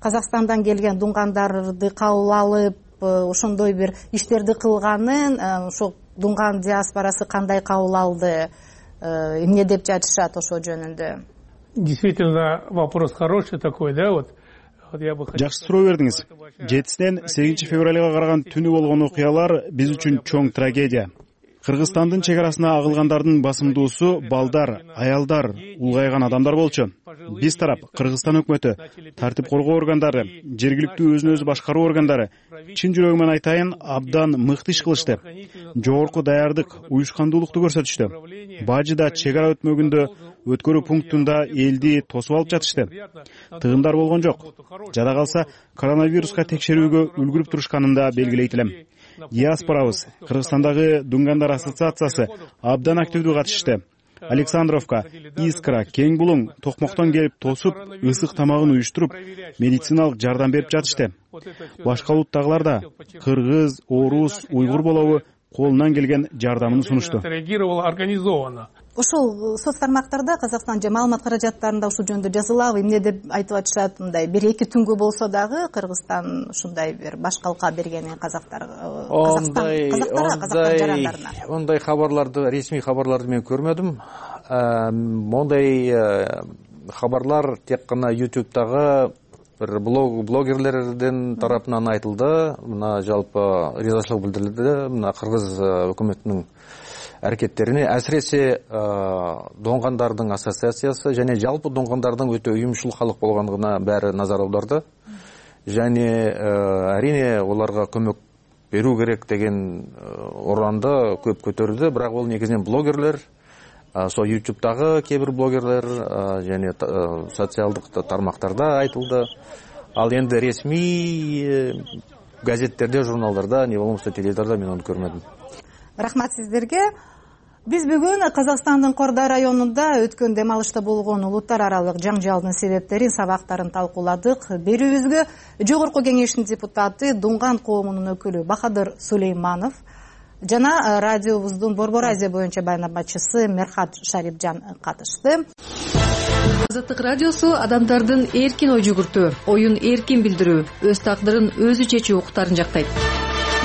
Казакстандан келген дунгандарды кабыл алып, ошондой бир иштерди кылганын, ошол дунган диаспорасы кандай кабыл алды, эмне деп жатышат ошол жөнүндө? Действительно, вопрос хороший такой, да, вот. Жакшы суроо бердиңиз. жетисинен сегизинчи февралга караган түнү болгон окуялар биз үчүн чоң трагедия. Кыргызстандын чек арасына агылгандардын басымдуусу балдар, аялдар, улгайган адамдар болчу. Биз тарап Кыргызстан өкмөтү, тартип коргоо органдары, жергиликтүү өзүн өзү башкаруу органдары чын жүрөгүмөн айтайын, абдан мыкты иш кылышты. Жогорку даярдык, уюшкандуулукту көрсөтүштү. Бажыда чек ара өтмөгүндө өткөрүү пунктунда элди тосуп алып жатышты. Тыгындар болгон жок. Жада калса коронавируска текшерүүгө үлгүрүп турушканын да белгилейт элем. Диаспорабыз, Кыргызстандагы Дунгандар ассоциациясы абдан активдүү катышты. Александровка, Искра, Кең Булуң Токмоктон келип тосуп, ысык тамагын уюштуруп, медициналык жардам берип жатышты. Башка улуттагылар да кыргыз, орус, уйгур болобу колунан келген жардамын сунушту. Реагировала организованно. Ошол соц тармактарда Казакстан же маалымат каражаттарында ушул жөнүндө жазылабы, эмне деп айтып атышат, мындай бир эки түнгө болсо дагы Кыргызстан ушундай бир башкалка бергени казактар, Казакстан казактарга, казактар жарандарына. Ондай хабарларды, ресми хабарларды мен көрмөдүм. Мондай хабарлар тек гана YouTube'дагы бир блог блогерлердин тарапынан айтылды. Мына жалпы ризачылык билдирилди. Мына Кыргыз өкмөтүнүн аракеттерине, әсіресе доңгандардын ассоциациясы және жалпы доңгандардын өтө уюмшул халык болгондугуна баары назар аударды. Және әрине оларга көмөк берүү керек деген уранды көп көтөрүлдү, бирок ол негизинен блогерлер, со YouTube'дагы кээ бир блогерлер және социалдык тармактарда айтылды. Ал енді ресми газеттерде, журналдарда, не болмаса теледидарда мен аны көрмөдүм. Рахмат сиздерге. Биз бүгүн Казакстандын Кордай районунда өткөн дем алышта болгон улуттар аралык жаңжалдын себептерин, сабактарын талкууладык. Берүүбүзгө Жогорку Кеңештин депутаты, Дунган коомунун өкүлү Бахадыр Сулейманов жана радиобуздун Борбор Азия боюнча байнамачысы Мерхат Шарипжан катышты. Азаттык радиосу адамдардын эркин ой жүгүртүү, оюн эркин билдирүү, өз тагдырын өзү чечүү укуктарын жактайт.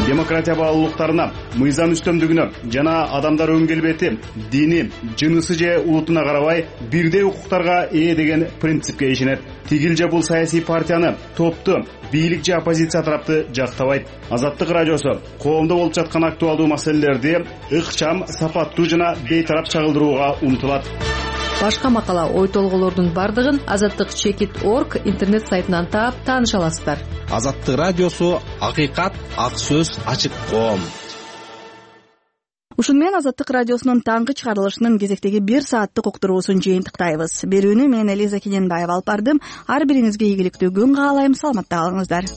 демократия баалуулуктарына, мыйзам үстөмдүгүнө жана адамдар өң келбети, дини, жынысы же улутуна карабай бирдей укуктарга ээ деген принципке ишенет. Тигил же бул саясий партияны, топту, бийлик же оппозиция тарапты жактабайт. Азаттык радиосу коомдо болуп жаткан актуалдуу маселелерди ыкчам, сапаттуу жана бейтарап чагылдырууга умтулат. Башка макала, ой толголордун бардыгын азаттык чекит точка орг интернет сайтынан таап тааныша аласыздар. Азаттык радиосу акыйкат, ак сөз, ачык коом. Ушун менен Азаттык радиосунун таңкы чыгарылышынын кезектеги бир сааттык уктуруусун жыйынтыктайбыз. Берүүнү мен Элиза Кененбаева алып бардым. Ар бириңизге ийгиликтүү күн каалайм. Саламатта калыңыздар.